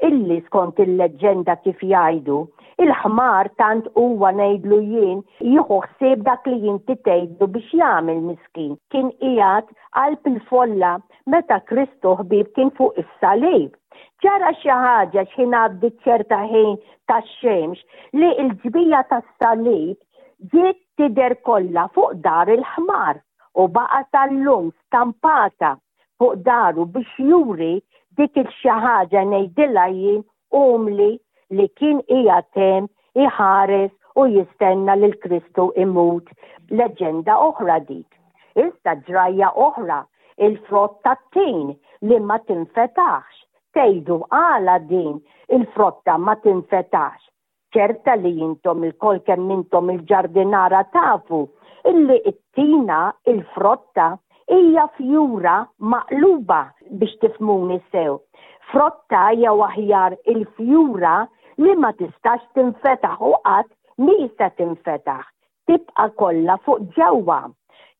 illi skont il-leġġenda kif jgħidu, il-ħmar tant huwa ngħidlu jien jieħu ħsieb dak li inti tgħidlu biex jagħmel miskin. Kien qiegħed qalb il-folla meta Kristu ħbieb kien fuq is-salib. Ġara xi ħaġa x'ħin għaddi ċerta ħin tax-xemx li l-ġbija tas-salib ġiet tidher kollha fuq dar il-ħmar u baqa' tal-lum stampata fuq daru biex juri dik il-xi ħaġa ngħidilha jien umli li kien qiegħed hemm iħares u jistenna lil Kristu imut. Leġenda oħra dik. Issa ġrajja oħra, il-frott tat-tin li ma tinfetaħx. Tgħidu għala din il-frotta ma tinfetaħx? Ċerta li intom ilkoll kemm intom il-ġardinara tafu illi it-tina, il-frotta, hija fjura maqluba biex tifhmuni sew. Frotta jew aħjar il-fjura li ma tistax tinfetaħ u qatt mhi se tinfetaħ. Tibqa' kollha fuq ġewwa.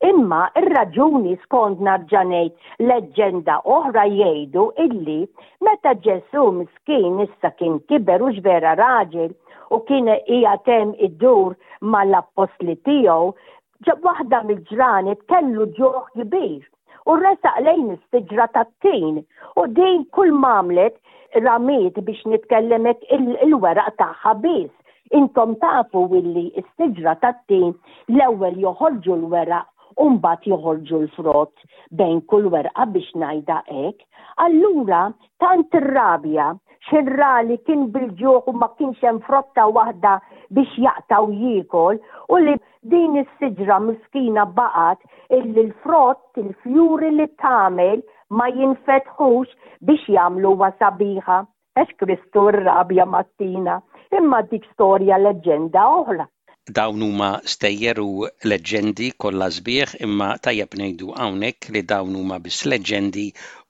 Imma ir-raġuni skont nerġa' ngħid leġġenda oħra jgħidu illi meta Ġesu miskin issa kien kiber u vera raġel u kien qiegħed hemm idur mal-appostli tiegħu, waħda mill-ġranet kellu ġuħ kbir u resaq lejn is-siġra tat-tin u din kull m'għamlet ramiet biex nitkellemek il-weraq tagħha biss. Intom tafu illi s-siġra tat-tin l-ewwel joħorġu l-weraq u mbagħad joħorġu l-frott bejn kull werqa biex ngħidha hekk. Allura tant irrabja x'ħin ra li kien bil-ġuħ u ma kienx hemm frotta waħda biex jaqta' u jiekol u li din is-siġra miskina baqgħet illi l-frott, il-fjuri li tagħmel ma jinfetħux biex jagħmluha sabiħa. Għax Kristu rrabja mat-tina, imma dik storja leġġenda oħra. Dawn huma stejjer u leġġendi kollha sbieħ, imma tajjeb ngħidu hawnhekk li dawn huma biss leġġendi,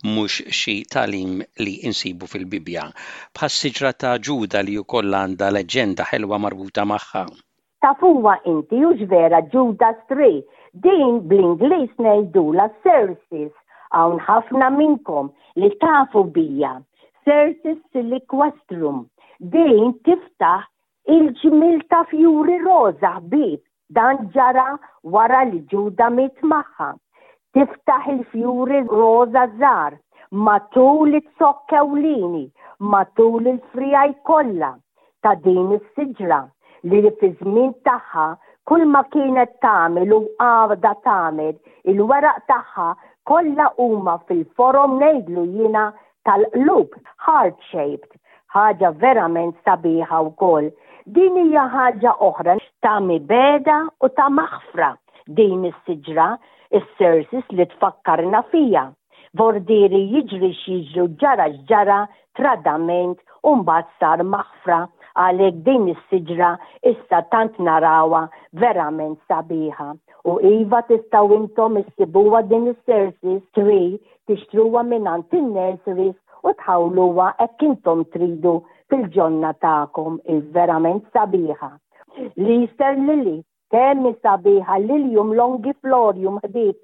mhux xi tagħlim li insibu fil-Bibja. Bħas-siġra ta' Ġuda li wkoll għandha leġġenda ħelwa marbuta magħha. Tafuha inti hux vera Judas Tree? Din bl-Ingliż ngħidula Cercis. Hawn ħafna minnkom li tafu bija. Cercis siliquastrum. Din tiftaħ il-ġmil ta' fjuri roża ħbieb, dan ġara wara li Ġuda miet magħha. Tiftaħ il-fjuri roża żgħar matul it-zokk ewlieni, matul il-friegħi kollha ta' din is-siġra li fi żmien tagħha kull ma kienet tagħmel u għadha tagħmel il-weraq tagħha kollha huma fil-forom ngħidlu jiena tal-qlub, heart shaped, ħaġa verament sabiħa wkoll. Din hija ħaġa oħra ta' mibegħda u ta' maħfra din is-siġra, is-Cercis li tfakkarna fija. Vordieri jiġri x'jiġri ġara x'ġara tradiment u mbagħad sar maħfra għalhekk din is-siġra issa tant narawha verament sabiħa. U iva tistgħu intom issibuha din is-Cercis tree tixtruha mingħand in-nurseries u tħawluha hekk intom tridu fil-ġonna tagħkom il-verament sabiħa. L-Easter Lily, kemm sabiħa Lilium longiflorum ħbieb,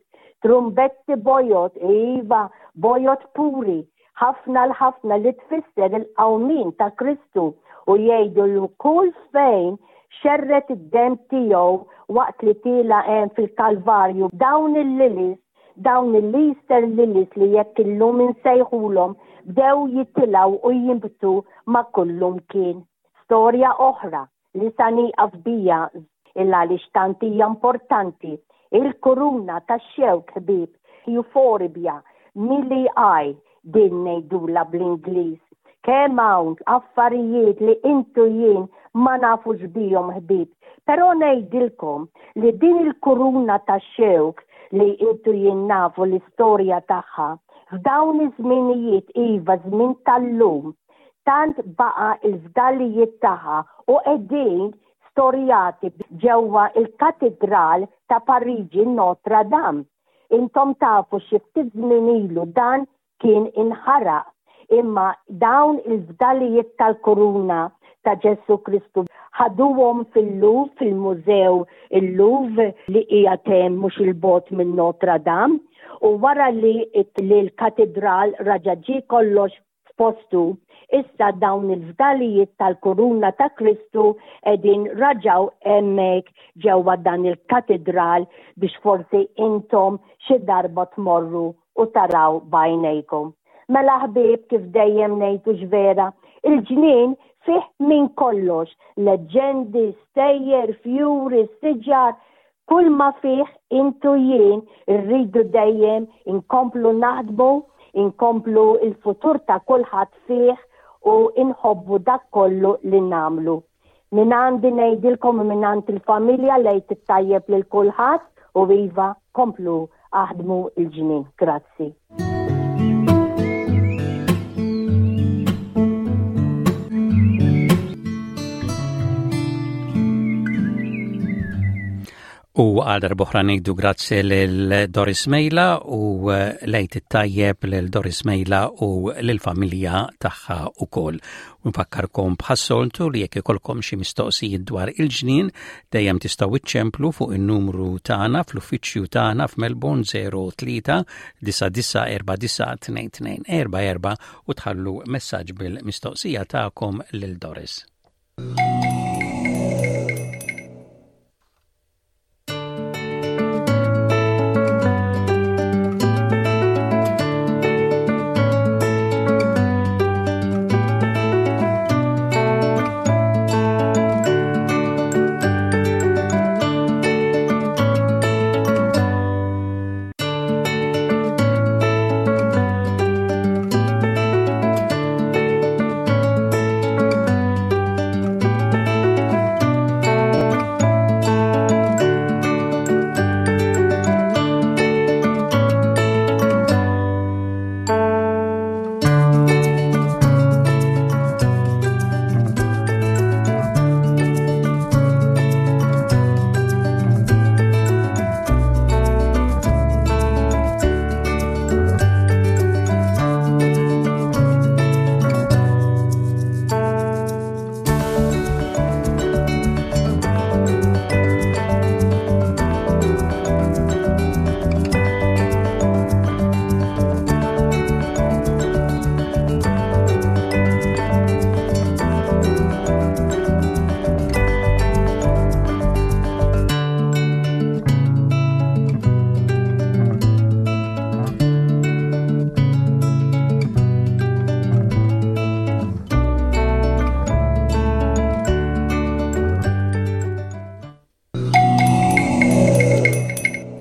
trumbetti bojod, iva, bojod puri, ħafna l-ħafna li tfisser il-qawmin ta' Kristu u jgħidu l kull fejn xerred id-demm tiegħu waqt li tila hemm fil-Kalvarju dawn il-lilies, dawn il-Easter lilies li jekk illum insejħulhom bdew jitilgħu u jinbtu ma' kullum kien. Storja oħra li sa nieqaf bija illa li tant hija importanti, il-kuruna tax-xewk ħbieb, Euphorbia milii din ngħidula bl-Ingliż. Kemm hawn affarijiet li intu jien ma nafux bihom ħbieb. Però ngħidilkom li din il-kuruna tax-xewk li intu jien nafu l-istorja tagħha f'dawn iż-żminijiet iva żmien tal-lum tant baqa il-fdalijiet tagħha u qegħdin storjati ġewwa il-Katedral ta' Pariġi Notre Dame. Intom tafu xi ftit żmien ilu dan kien inħaraq imma dawn il-fdalijiet tal-kuruna ta' Ġesu Kristu ħaduhom fil-Louvre, fil-Mużew il-Louvre li hija hemm mhux il-bogħod minn Notre Dame u wara li l-katedral raġa' ġie kollox f'postu, issa dawn il-fdalijiet tal-kuruna ta' Kristu qegħdin raġaw hemmhekk ġewwa dan il-katedral biex forsi intom xi darba tmorru u taraw b'għajnejkom. Mela ħbieb kif dejjem ngħidu vera, il-ġnien fih minn kollox, leġendi, stejjer, fjuri, siġar, kull ma fih intu jien irridu dejjem inkomplu naħdmu, inkomplu il-futur ta' kulħadd fih u inħobbu dak kollu li nagħmlu. Minn għandi ngħidilkom minn għand il-familja l-Għid it-tajjeb lil kulħadd u iva komplu aħdmu il-ġnien. Grazzi. U għal darb'oħra ngħidu grazzi lil Doris Mejla u l-Għid it-tajjeb lil Doris Mejla u lil-familja tagħha ukoll. U nfakkarkom bħas-soltu li jekk ikolkom xi mistoqsijiet dwar il-ġnien dejjem tistgħu iċċemplu fuq in-numru tagħna fl-uffiċċju tagħna f'Melbourne zero tlieta disa' disa' erba' disa' tnejn tnejn erba' erba' u tħallu messaġġ bil-mistoqsija tagħkom lil Doris.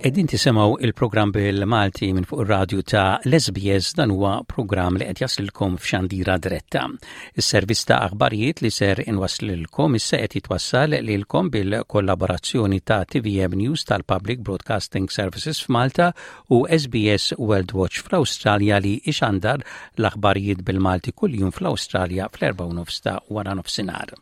Qegħdin tisimgħu il-programm bil-Malti minn fuq ir-radju ta' l-S B S. Dan huwa programm li qed jaslilkom f'xandira diretta. Is-servizz ta' aħbarijiet li ser inwaslilkom issa qed jitwassal lilkom bil-kollaborazzjoni ta' T V M News tal-Public Broadcasting Services f'Malta u S B S World Watch fl-Awstralja, li ixandar l-aħbarijiet bil-Malti kuljum fl-Awstralja fl-erba' nofs ta' wara nofsinhar.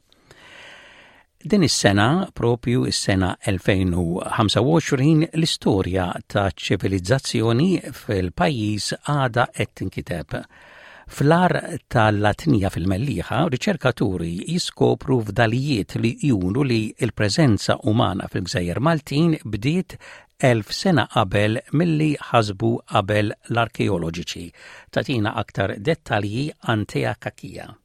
Din is-sena, propju is-sena elfejn u ħamsa u għoxrin, l-istorja ta' ċivilizzazzjoni fil-pajjiż għada qed tinkiteb. Fl-Għar tal-Latnija fil-Mellieħa, riċerkaturi jiskopru fdalijiet li juru li il-preżenza umana fil-Gżejjer Maltin bdiet elf sena qabel milli ħasbu qabel l-arkeoloġiċi. Tagħtina aktar dettalji Antea Cachia.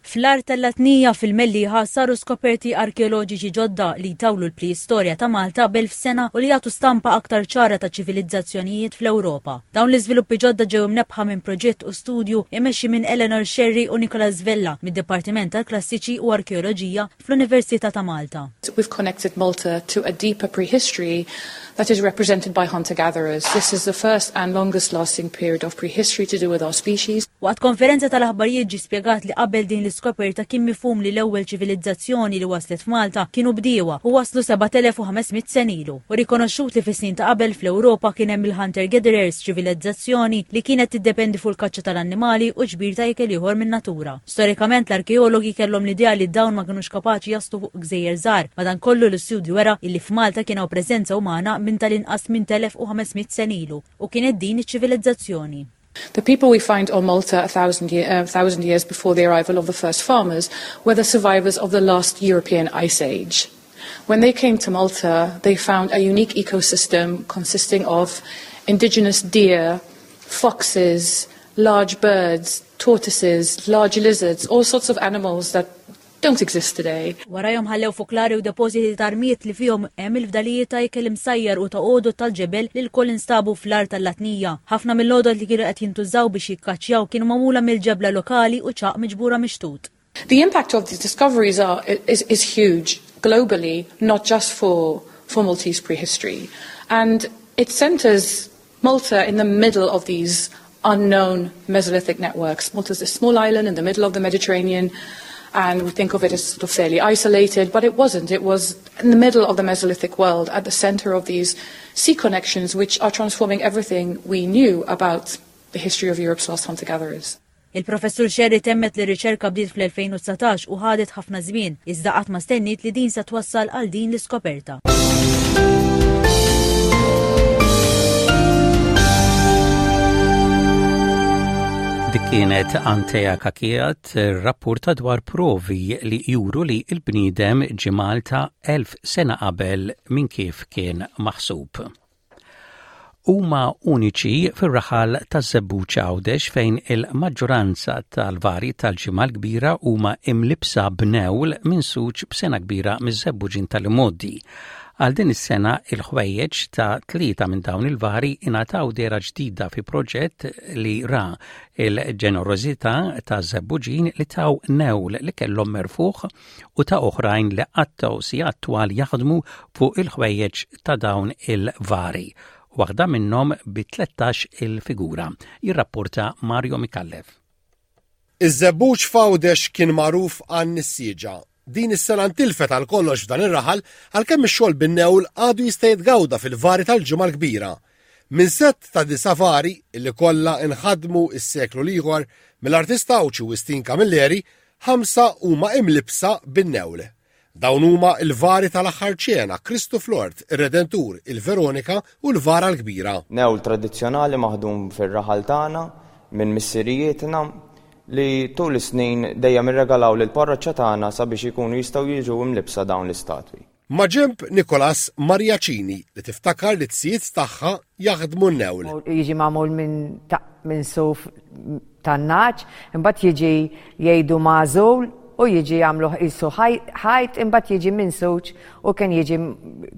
Fl-Għar tal-Latnija fil-Mellieħa saru skoperti arkeoloġiċi ġodda li tawlu l-preistorja ta' Malta b'elf sena u li jagħtu stampa aktar ċara ta' ċivilizzazzjonijiet fl-Ewropa. Dawn l-iżviluppi ġodda ġew imnebbħa minn proġett u studju imexxi minn Eleanor Scerri u Nicolas Vella mid-Dipartiment tal-Klassiċi u Arkeoloġija fl-Università ta' Malta. We've connected Malta to a deeper prehistory that is represented by hunter-gatherers. This is the first and longest lasting period of prehistory to do with our species. Waqt konferenza tal-aħbarijiet ġi spjegat li qabel din l-iskoperta kien mifhum li l-ewwel ċivilizzazzjoni li waslet f'Malta kienu bdiewa u waslu sebat elef u ħames mitt sena ilu. U rikonoxxut li fis-snin ta' qabel fl-Ewropa kien hemm il-hunter-gatherers, ċivilizzazzjoni li kienet tiddependi fuq il-kaċċa tal-annimali u ġbir ta' ikel ieħor min-natura. Storikament, l-arkeologi kellhom l-idea li dawn ma kinux kapaċi jaslu fuq gżejjer żgħar, madankollu l-istudju wera illi f'Malta kien hawn preżenza umana minn tal-inqas minn elf u ħames mitt sena ilu u kienet din iċ-ċivilizzazzjoni. The people we find on Malta a thousand, year, uh, thousand years before the arrival of the first farmers were the survivors of the last European Ice Age. When they came to Malta, they found a unique ecosystem consisting of indigenous deer, foxes, large birds, tortoises, large lizards, all sorts of animals that don't exist today. Warajhom ħallew foklari u depożiti ta' armijiet li fihom hemm il-fdalijiet ta' ikel imsajjar u ta' għodod tal-ġebel li lkoll instabu fl-Għar tal-Latnija. Ħafna mill-għodod li kienu qed jintużaw biex jikkaċċjaw kienu magħmula mill-ġebla lokali u ċagħaq miġbura mix-xtut. The impact of these discoveries are, is, is huge globally, not just for, for Maltese prehistory. And it centers Malta in the middle of these unknown Mesolithic networks. Malta's a small island in the middle of the Mediterranean, and we think of it as sort of fairly isolated, but it wasn't. It was in the middle of the Mesolithic world, at the center of these sea connections, which are transforming everything we knew about the history of Europe's last hunter-gatherers. Il-professur Scerri temmet li riċerka bdiet fl-elfejn u dsatax u ħadet ħafna żmien, iżda qatt ma stenniet li din se twassal għal din l-iskoperta. Dik kienet Antea Cachia tirrapporta dwar provi li juru li il-bniedem ġie Malta elf sena qabel minn kif kien maħsub. Huma uniċi fir-raħal taż-Żebbuġ Għawdex, fejn il-maġġoranza tal-vari tal-Ġimgħa l-Kbira huma imlibsa b'newl minsuġ b'sengħa kbira miż-Żebbuġin tal-imgħoddi. Għal din is-sena, il-ħwejjeġ ta' tlieta minn dawn il-vari ingħataw dehra ġdida fi proġett li ra il-ġenerożità ta' Żebbuġin li taw newl li kellhom merfuħ u ta' oħrajn li qattgħu sigħat twal jaħdmu fuq il-ħwejjeġ ta' dawn il-vari. Waħda minnhom bi tlettax il-figura. Jirrapporta Mario Micallef. Iż-Żebbuġ f'Għawdex kien magħruf għan-nissieġa. Din is-sena ntilfet għal kollox f'dan ir-raħal, għalkemm ix-xogħol bin-newl għadu jista' jitgawda fil-vari tal-Ġimgħa l-Kbira. Minn set ta' disa' vari illi kollha inħadmu is-seklu l-ieħor mill-artista Għawdxi Wistin Camilleri, ħamsa huma imlibsa bin-newl. Dawn huma il-vari tal-Aħħar Ċena, Kristu fl-Ort, ir-Redentur, il-Veronika u l-Vara l-Kbira. Newl tradizzjonali maħdum fir-raħal tagħna minn missirijietna li tul is-snin dejjem irregalaw lil parroċċa tagħna sabiex ikunu jistgħu jiġu imlibsa dawn l-istatwi. Maġenb Nicolas, Maria Cini, li tiftakar li z-zijiet tagħha jaħdmu n-newl. Jiġi magħmul minn minn suf tan-nagħaġ, imbagħad jiġi jgħidu magħżul u jiġi jagħmlu qisu ħajt, imbagħad jiġi minsuġ u kien jiġi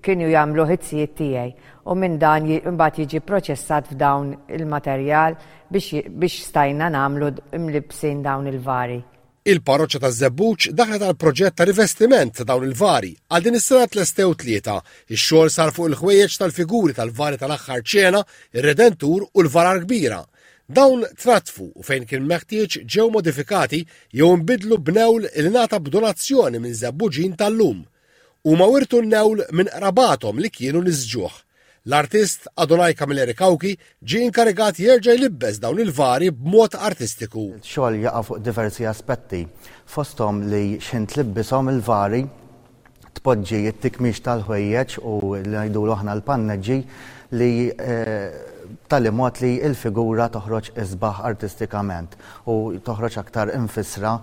kienu jagħmlu iz-zijiet tiegħi. U minn dan imbagħad jiġi proċessat f'dawn il-materjal biex, biex stajna nagħmlu imlibsin dawn il-vari. Il-parroċċa taż-Żebbuġ daħlet għal proġett ta' rivestiment ta' dawn il-vari. Għal din is-sena tlestew tlieta. Ix-xogħol sar fuq il-ħwejjeġ tal-figuri tal-vari tal-aħħar ċena, ir-Redentur u l-varar kbira. Dawn trattfu u fejn kien meħtieġ ġew modifikati jew nbidlu b'newl li ngħata b'donazzjoni minn Żebbuġin tal-lum. Huma wirtu n-newl minn qrabathom li kienu nisġuh. L-artist Adonai Camilleri Cauchi ġie inkarigat jerġa' jlibbes dawn il-vari b'mod artistiku. Xogħol jaqa' fuq diversi aspetti, fosthom li x'ħin tlibbishom il-vari tpoġġi t-tikmix tal-ħwejjeġ u li ngħidulu aħna l-panneġġi li b'tali mod li l-figura toħroġ isbaħ artistikament u toħroġ aktar infisra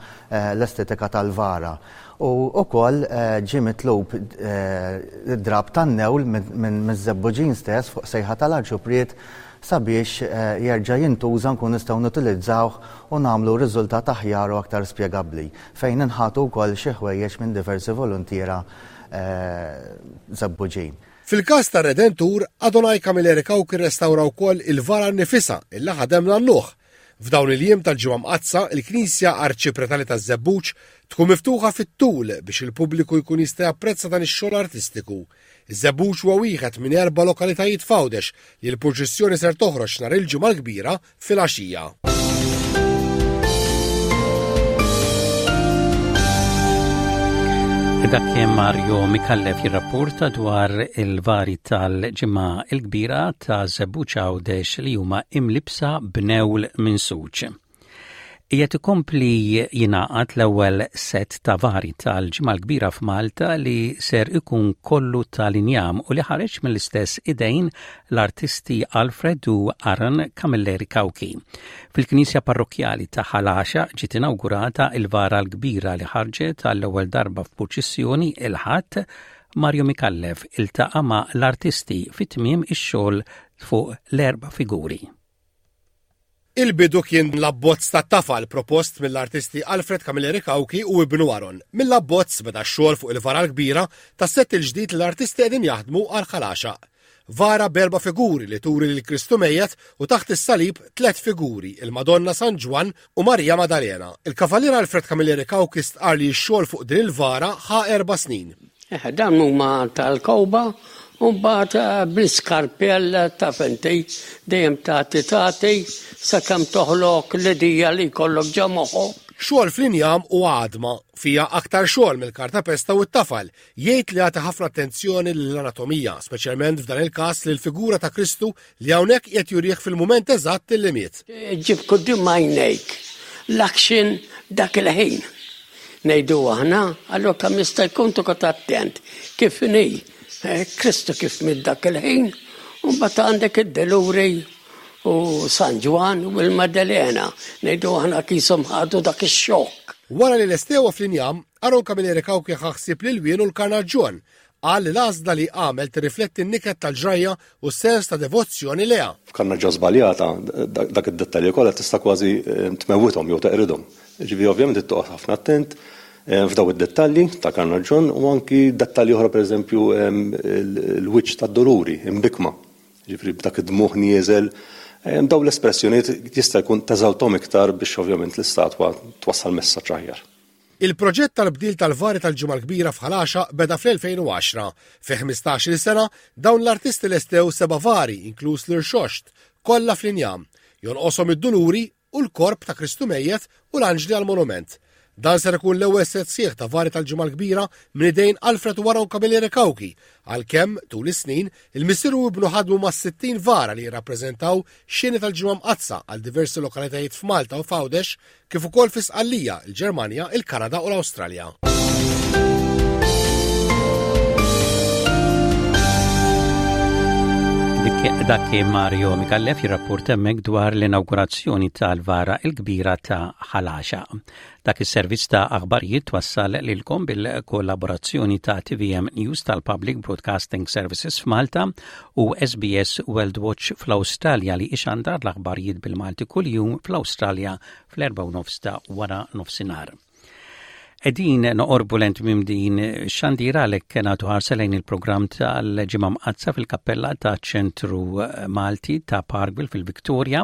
l-estetika tal-vara. U wkoll ġie mitlub id-drab tan-newl minn miż-Żebbuġin stess fuq sejħa tal-Arċupriet sabiex jerġa' jintuża nkun nistgħu nutilizzawh u nagħmlu riżultat aħjar u aktar spjegabbli fejn inħatu wkoll xi ħwejjeġ minn diversi voluntiera Żebbuġin. Fil-każ tar-Redentur, Adonai Camilleri Cauchi rrestawra wkoll il-vara nnifisha illi ħadem nannuh. F'dawn il-jiem tal-Ġimgħa Mqaddsa, il-Knisja Arċipretali taż-Żebbuġ tkun miftuħa fit-tul biex il-pubbliku jkun jista' japprezza dan ix-xogħol artistiku. Iż-Żebbuġ huwa wieħed minn erba' lokalitajiet f'Għawdex li l-purċissjoni ser toħroġ nhar il-Ġimgħa l-Kbira filgħaxija. Dak kien Mario Micallef jirrapporta dwar il-vari tal-Ġimgħa il-Kbira ta' Żebbuġ Għawdex li huma imlibsa b'newl minsuġ. Qiegħed ikompli jingħaqad l-ewwel set ta' vari tal-Ġimgħa l-Kbira f'Malta li ser ikun kollu tal-injam u li ħareġ mill-istess idejn l-artisti Alfred u Aaron Camilleri Cauchi. Fil-Knisja Parrokkjali ta' Ħal Għaxaq ġiet inaugurata il-vara l-kbira li ħarġet għall-ewwel darba f'purċissjoni il-Ħadd. Mario Micallef iltaqa' ma' l-artisti fit-tmiem ix-xogħol fuq l-erba' figuri. Il-bidu kien l-abbozz ta' tafal propost mill-artisti Alfred Camilleri Cauchi u ibnu Aaron. Mill-abbozz beda x-xogħol fuq il-vara l-kbira tas-sett il-ġdid li l-artisti qegħdin jaħdmu għal Ħal Għaxaq. Vara b'erba' figuri li turi lil Kristu mejjet u taħt is-salib tliet figuri, il-Madonna San Ġwann u Marija Madalena. Il-Kavalier Alfred Camilleri Cauchi stqar li x-xogħol fuq din il-vara ħa erba' snin. Eh, dan huma tal-kowba u mbagħad eh, bl-iskarpell ta' fenti dejjem tagħti tagħti sakemm toħloq l-idea li jkollok ġo moħħok. Xogħol fl-injam u għadma fija aktar xogħol mill-kartapesta u t-tafal. Jgħid li jagħti ħafna attenzjoni lill-anatomija, speċjalment f'dan il-każ lil figura ta' Kristu li hawnhekk qed jurih fil-mument eżatt li miet. Ġib quddiem għajnejk l-action dak il-ħin. Ngħidu aħna, allura kemm jista' jkun toqgħod attent kif inhi eh, Kristu kif miet dak il-ħin, u mbagħad għandek id-Deluri u San Ġwann u l-Maddalena. Ngħidu aħna qishom ħadu dak ix-xokk. Wara li lestewa fl-injam, Aaron Camilleri Cauchi ħa ħsieb l-ilwien u l-karnaġġon. Qal li l-għażla li għamel tirrifletti n-niket tal-ġrajja u s-sens ta' devozzjoni lejha. F'karnaġġo żbaljata, dak id-dettalji kollha tista' kważi eh, tmewwithom jew teqridhom. Ġifieri ovvjament toqgħod ħafna attent eh, f'daw id-dettalji ta' karnaġġon u anki dettalji oħra pereżempju eh, l-wiċċ tad-doluri imbikma. Ġifieri b'dak id-dmuħ nieżel daw l-espressjonijiet jista' jkun teżalthom iktar biex ovvjament l-istatwa twassal messaġġ aħjar. Il-proġett tal-bdil tal-vari tal-Ġimgħa l-Kbira f'Ħal Għaxaq beda fl-elfejn u għaxra. Fi ħmistax-il sena dawn l-artisti lestew seba' vari, inkluż l-irxoxt, kollha fl-injam. Jonqoshom id-duluri u l-korp ta' Kristu mejjet u l-anġli għal-monument. Dan ser ikun l-ewwel set sieħ ta' vari tal-Ġimgħa l-Kbira minn idejn Alfred u Aaron Camilleri Cauchi, għalkemm tul is-snin il-missier u ibnu ħadmu ma' sittin vara li jirrappreżentaw xeni tal-Ġimgħa Mqaddsa għal diversi lokalitajiet f'Malta u f'Għawdex, kif ukoll fi Sqallija, il-Ġermanja, il-Kanada u l-Awstralja. Dak kien Mario Micallef jirrapport hemmhekk dwar l-inaugurazzjoni tal-vara il-kbira ta' Ħal Għaxaq. Dak is-servizz ta' aħbarijiet twassal lilkom bil-kollaborazzjoni ta' T V M News tal-Public Broadcasting Services f'Malta u S B S World Watch fl-Awstralja li ixandar l-aħbarijiet bil-Malti kuljum fl-Awstralja fl-erba' u nofs ta' wara nofsinhar. Qegħdin noqorbu lejn tmiem din xandira, għalhekk nagħtu ħarsa lejn il-programm tal-Ġimgħa Mqaddsa fil-Kappella ta' Ċentru Malti ta' Parkville fil-Victoria.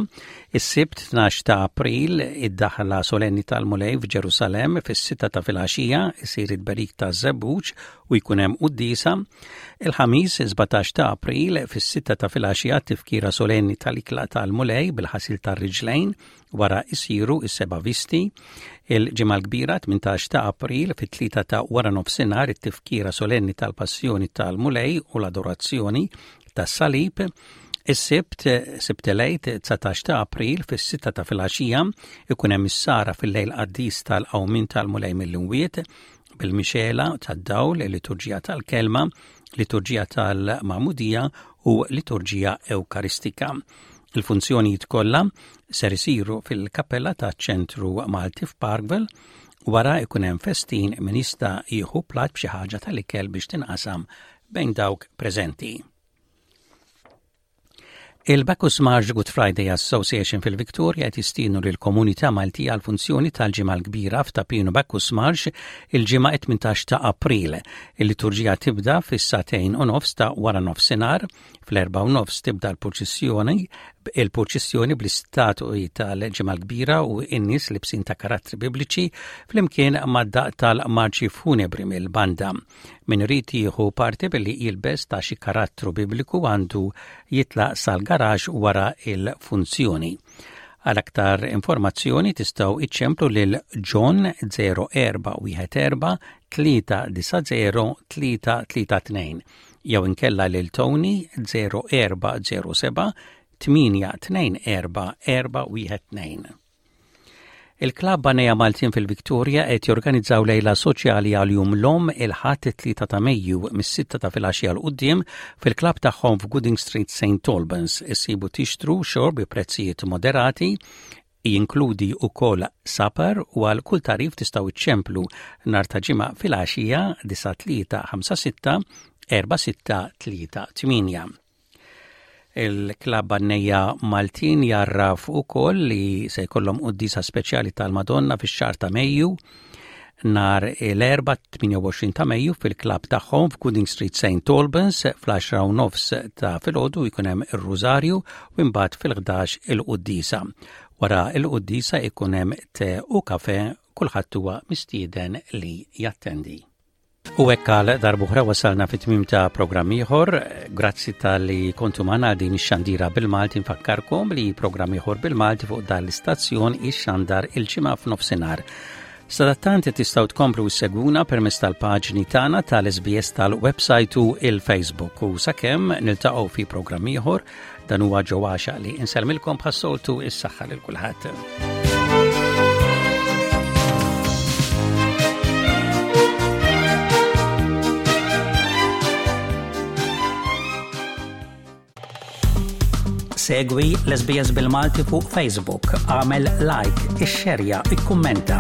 Is-Sibt tnax ta' April, id-daħla solenni tal-Mulej f'Ġerusalem fis-sitta ta' filgħaxija, isir it-tberik ta' żebbuġ u jkun hemm quddiesa. Il-Ħamis sbatax ta' April fis-sitta ta' filgħaxija, tifkira solenni tal-ikla tal-Mulej bil-ħasil tar-riġlejn, wara isiru is-seba' visti. Il-Ġimgħa l-Kbira tmintax ta' April fit-tlieta ta' wara nofsinhar, it-tifkira solenni tal-Passjoni tal-Mulej u l-adorazzjoni tas-Salib. Is-Sibt, Sibt il-Għid, dsatax ta' April fis-sitta ta' filgħaxija, ikun hemm is-sahra fil-lejl qaddis tal-qawmin tal-Mulej mill-imwiet bil-mixela tad-dawl, liturġija tal-kelma, liturġija tal-Magħmudija u liturġija Ewkaristika. Il-funzjonijiet kollha ser isiru fil-kappella ta' Ċentru Malti f'Parkville. Wara ikun hemm festin, min jista' jieħu plat b'xi ħaġa tal-ikel biex tinqasam bejn dawk preżenti. Il-Bacchus Marsh Good Friday Association fil-Victoria qed jistiednu lill komunità Maltija għal funzjoni tal-Ġimgħa l-Kbira f'Ta' Pinu Bacchus Marsh il-Ġimgħa tmintax ta' April. Il-liturġija tibda fis-sagħtejn u nofs ta' wara nofsinhar, fl-erba' u nofs tibda l-purċissjoni il-purċissjoni bl-istatui tal-Ġimgħa l-Kbira u n-nies libsin ta' karattri bibliċi flimkien mad-daqq tal-marċi funebri mill-banda. Min irid jieħu parti billi jilbes ta' xi karattru bibliku għandu jitlaq sal-garaxx wara il-funzjoni. Għal aktar informazzjoni tistgħu iċċemplu lil John zero erba' wieħed erba' tlieta disa' zero tlieta tlieta tnejn jew inkella lil Tony zero erba' zero seba' tmienja tnejn erba' erba' wieħed tnejn. Il-Klabb Għannejja Maltin fil-Victoria qed jorganizzaw lejla soċjali għal Jum l-Omm il-Ħadd it-tlieta ta' Mejju mis-sitta ta' filgħaxija 'l quddiem fil-klabb tagħhom f'Gooding Street, Saint Albans. Issibu tixtru xorb bi prezzijiet moderati, jinkludi ukoll supper, u għal kull tagħrif tistgħu iċċemplu nhar ta' Ġimgħa filgħaxija disa' tlieta ħamsa sitta erba' sitta tlieta tmienja. Il-Klabb Għannejja Maltin jgħarraf ukoll li se jkollhom quddiesa speċjali tal-Madonna fix-xahar ta' Mejju nhar l-Erbgħa tmienja u għoxrin ta' Mejju fil-klabb tagħhom f'Gooding Street, Saint Albans. Fl-għaxra u nofs ta' filgħodu jkun hemm ir-Rużarju u imbagħad fil-ħdax il-quddiesa. Wara il-quddiesa ikun hemm te u kafe, kulħadd huwa mistieden li jattendi. U hekk għal darb'oħra wasalna fit-tmiem ta' programm ieħor. Grazzi talli kontu magħna din ix-xandira bil-Malti. Nfakkarkom li programm ieħor bil-Malti fuq dan l-istazzjon ixxandar il-Ġimgħa f'nofsinhar. Sadattant tistgħu tkomplu ssegwuna permezz tal-paġni tagħna tal-S B S tal-website u il-Facebook, u sakemm niltaqgħu fi programm ieħor, dan huwa ġewwaxa li insellmilkom bħas-soltu, is-saħħa lil kulħadd. Segwi l-S B S bil-Malti fuq Facebook, għamel like, ixxerja, ikkummenta.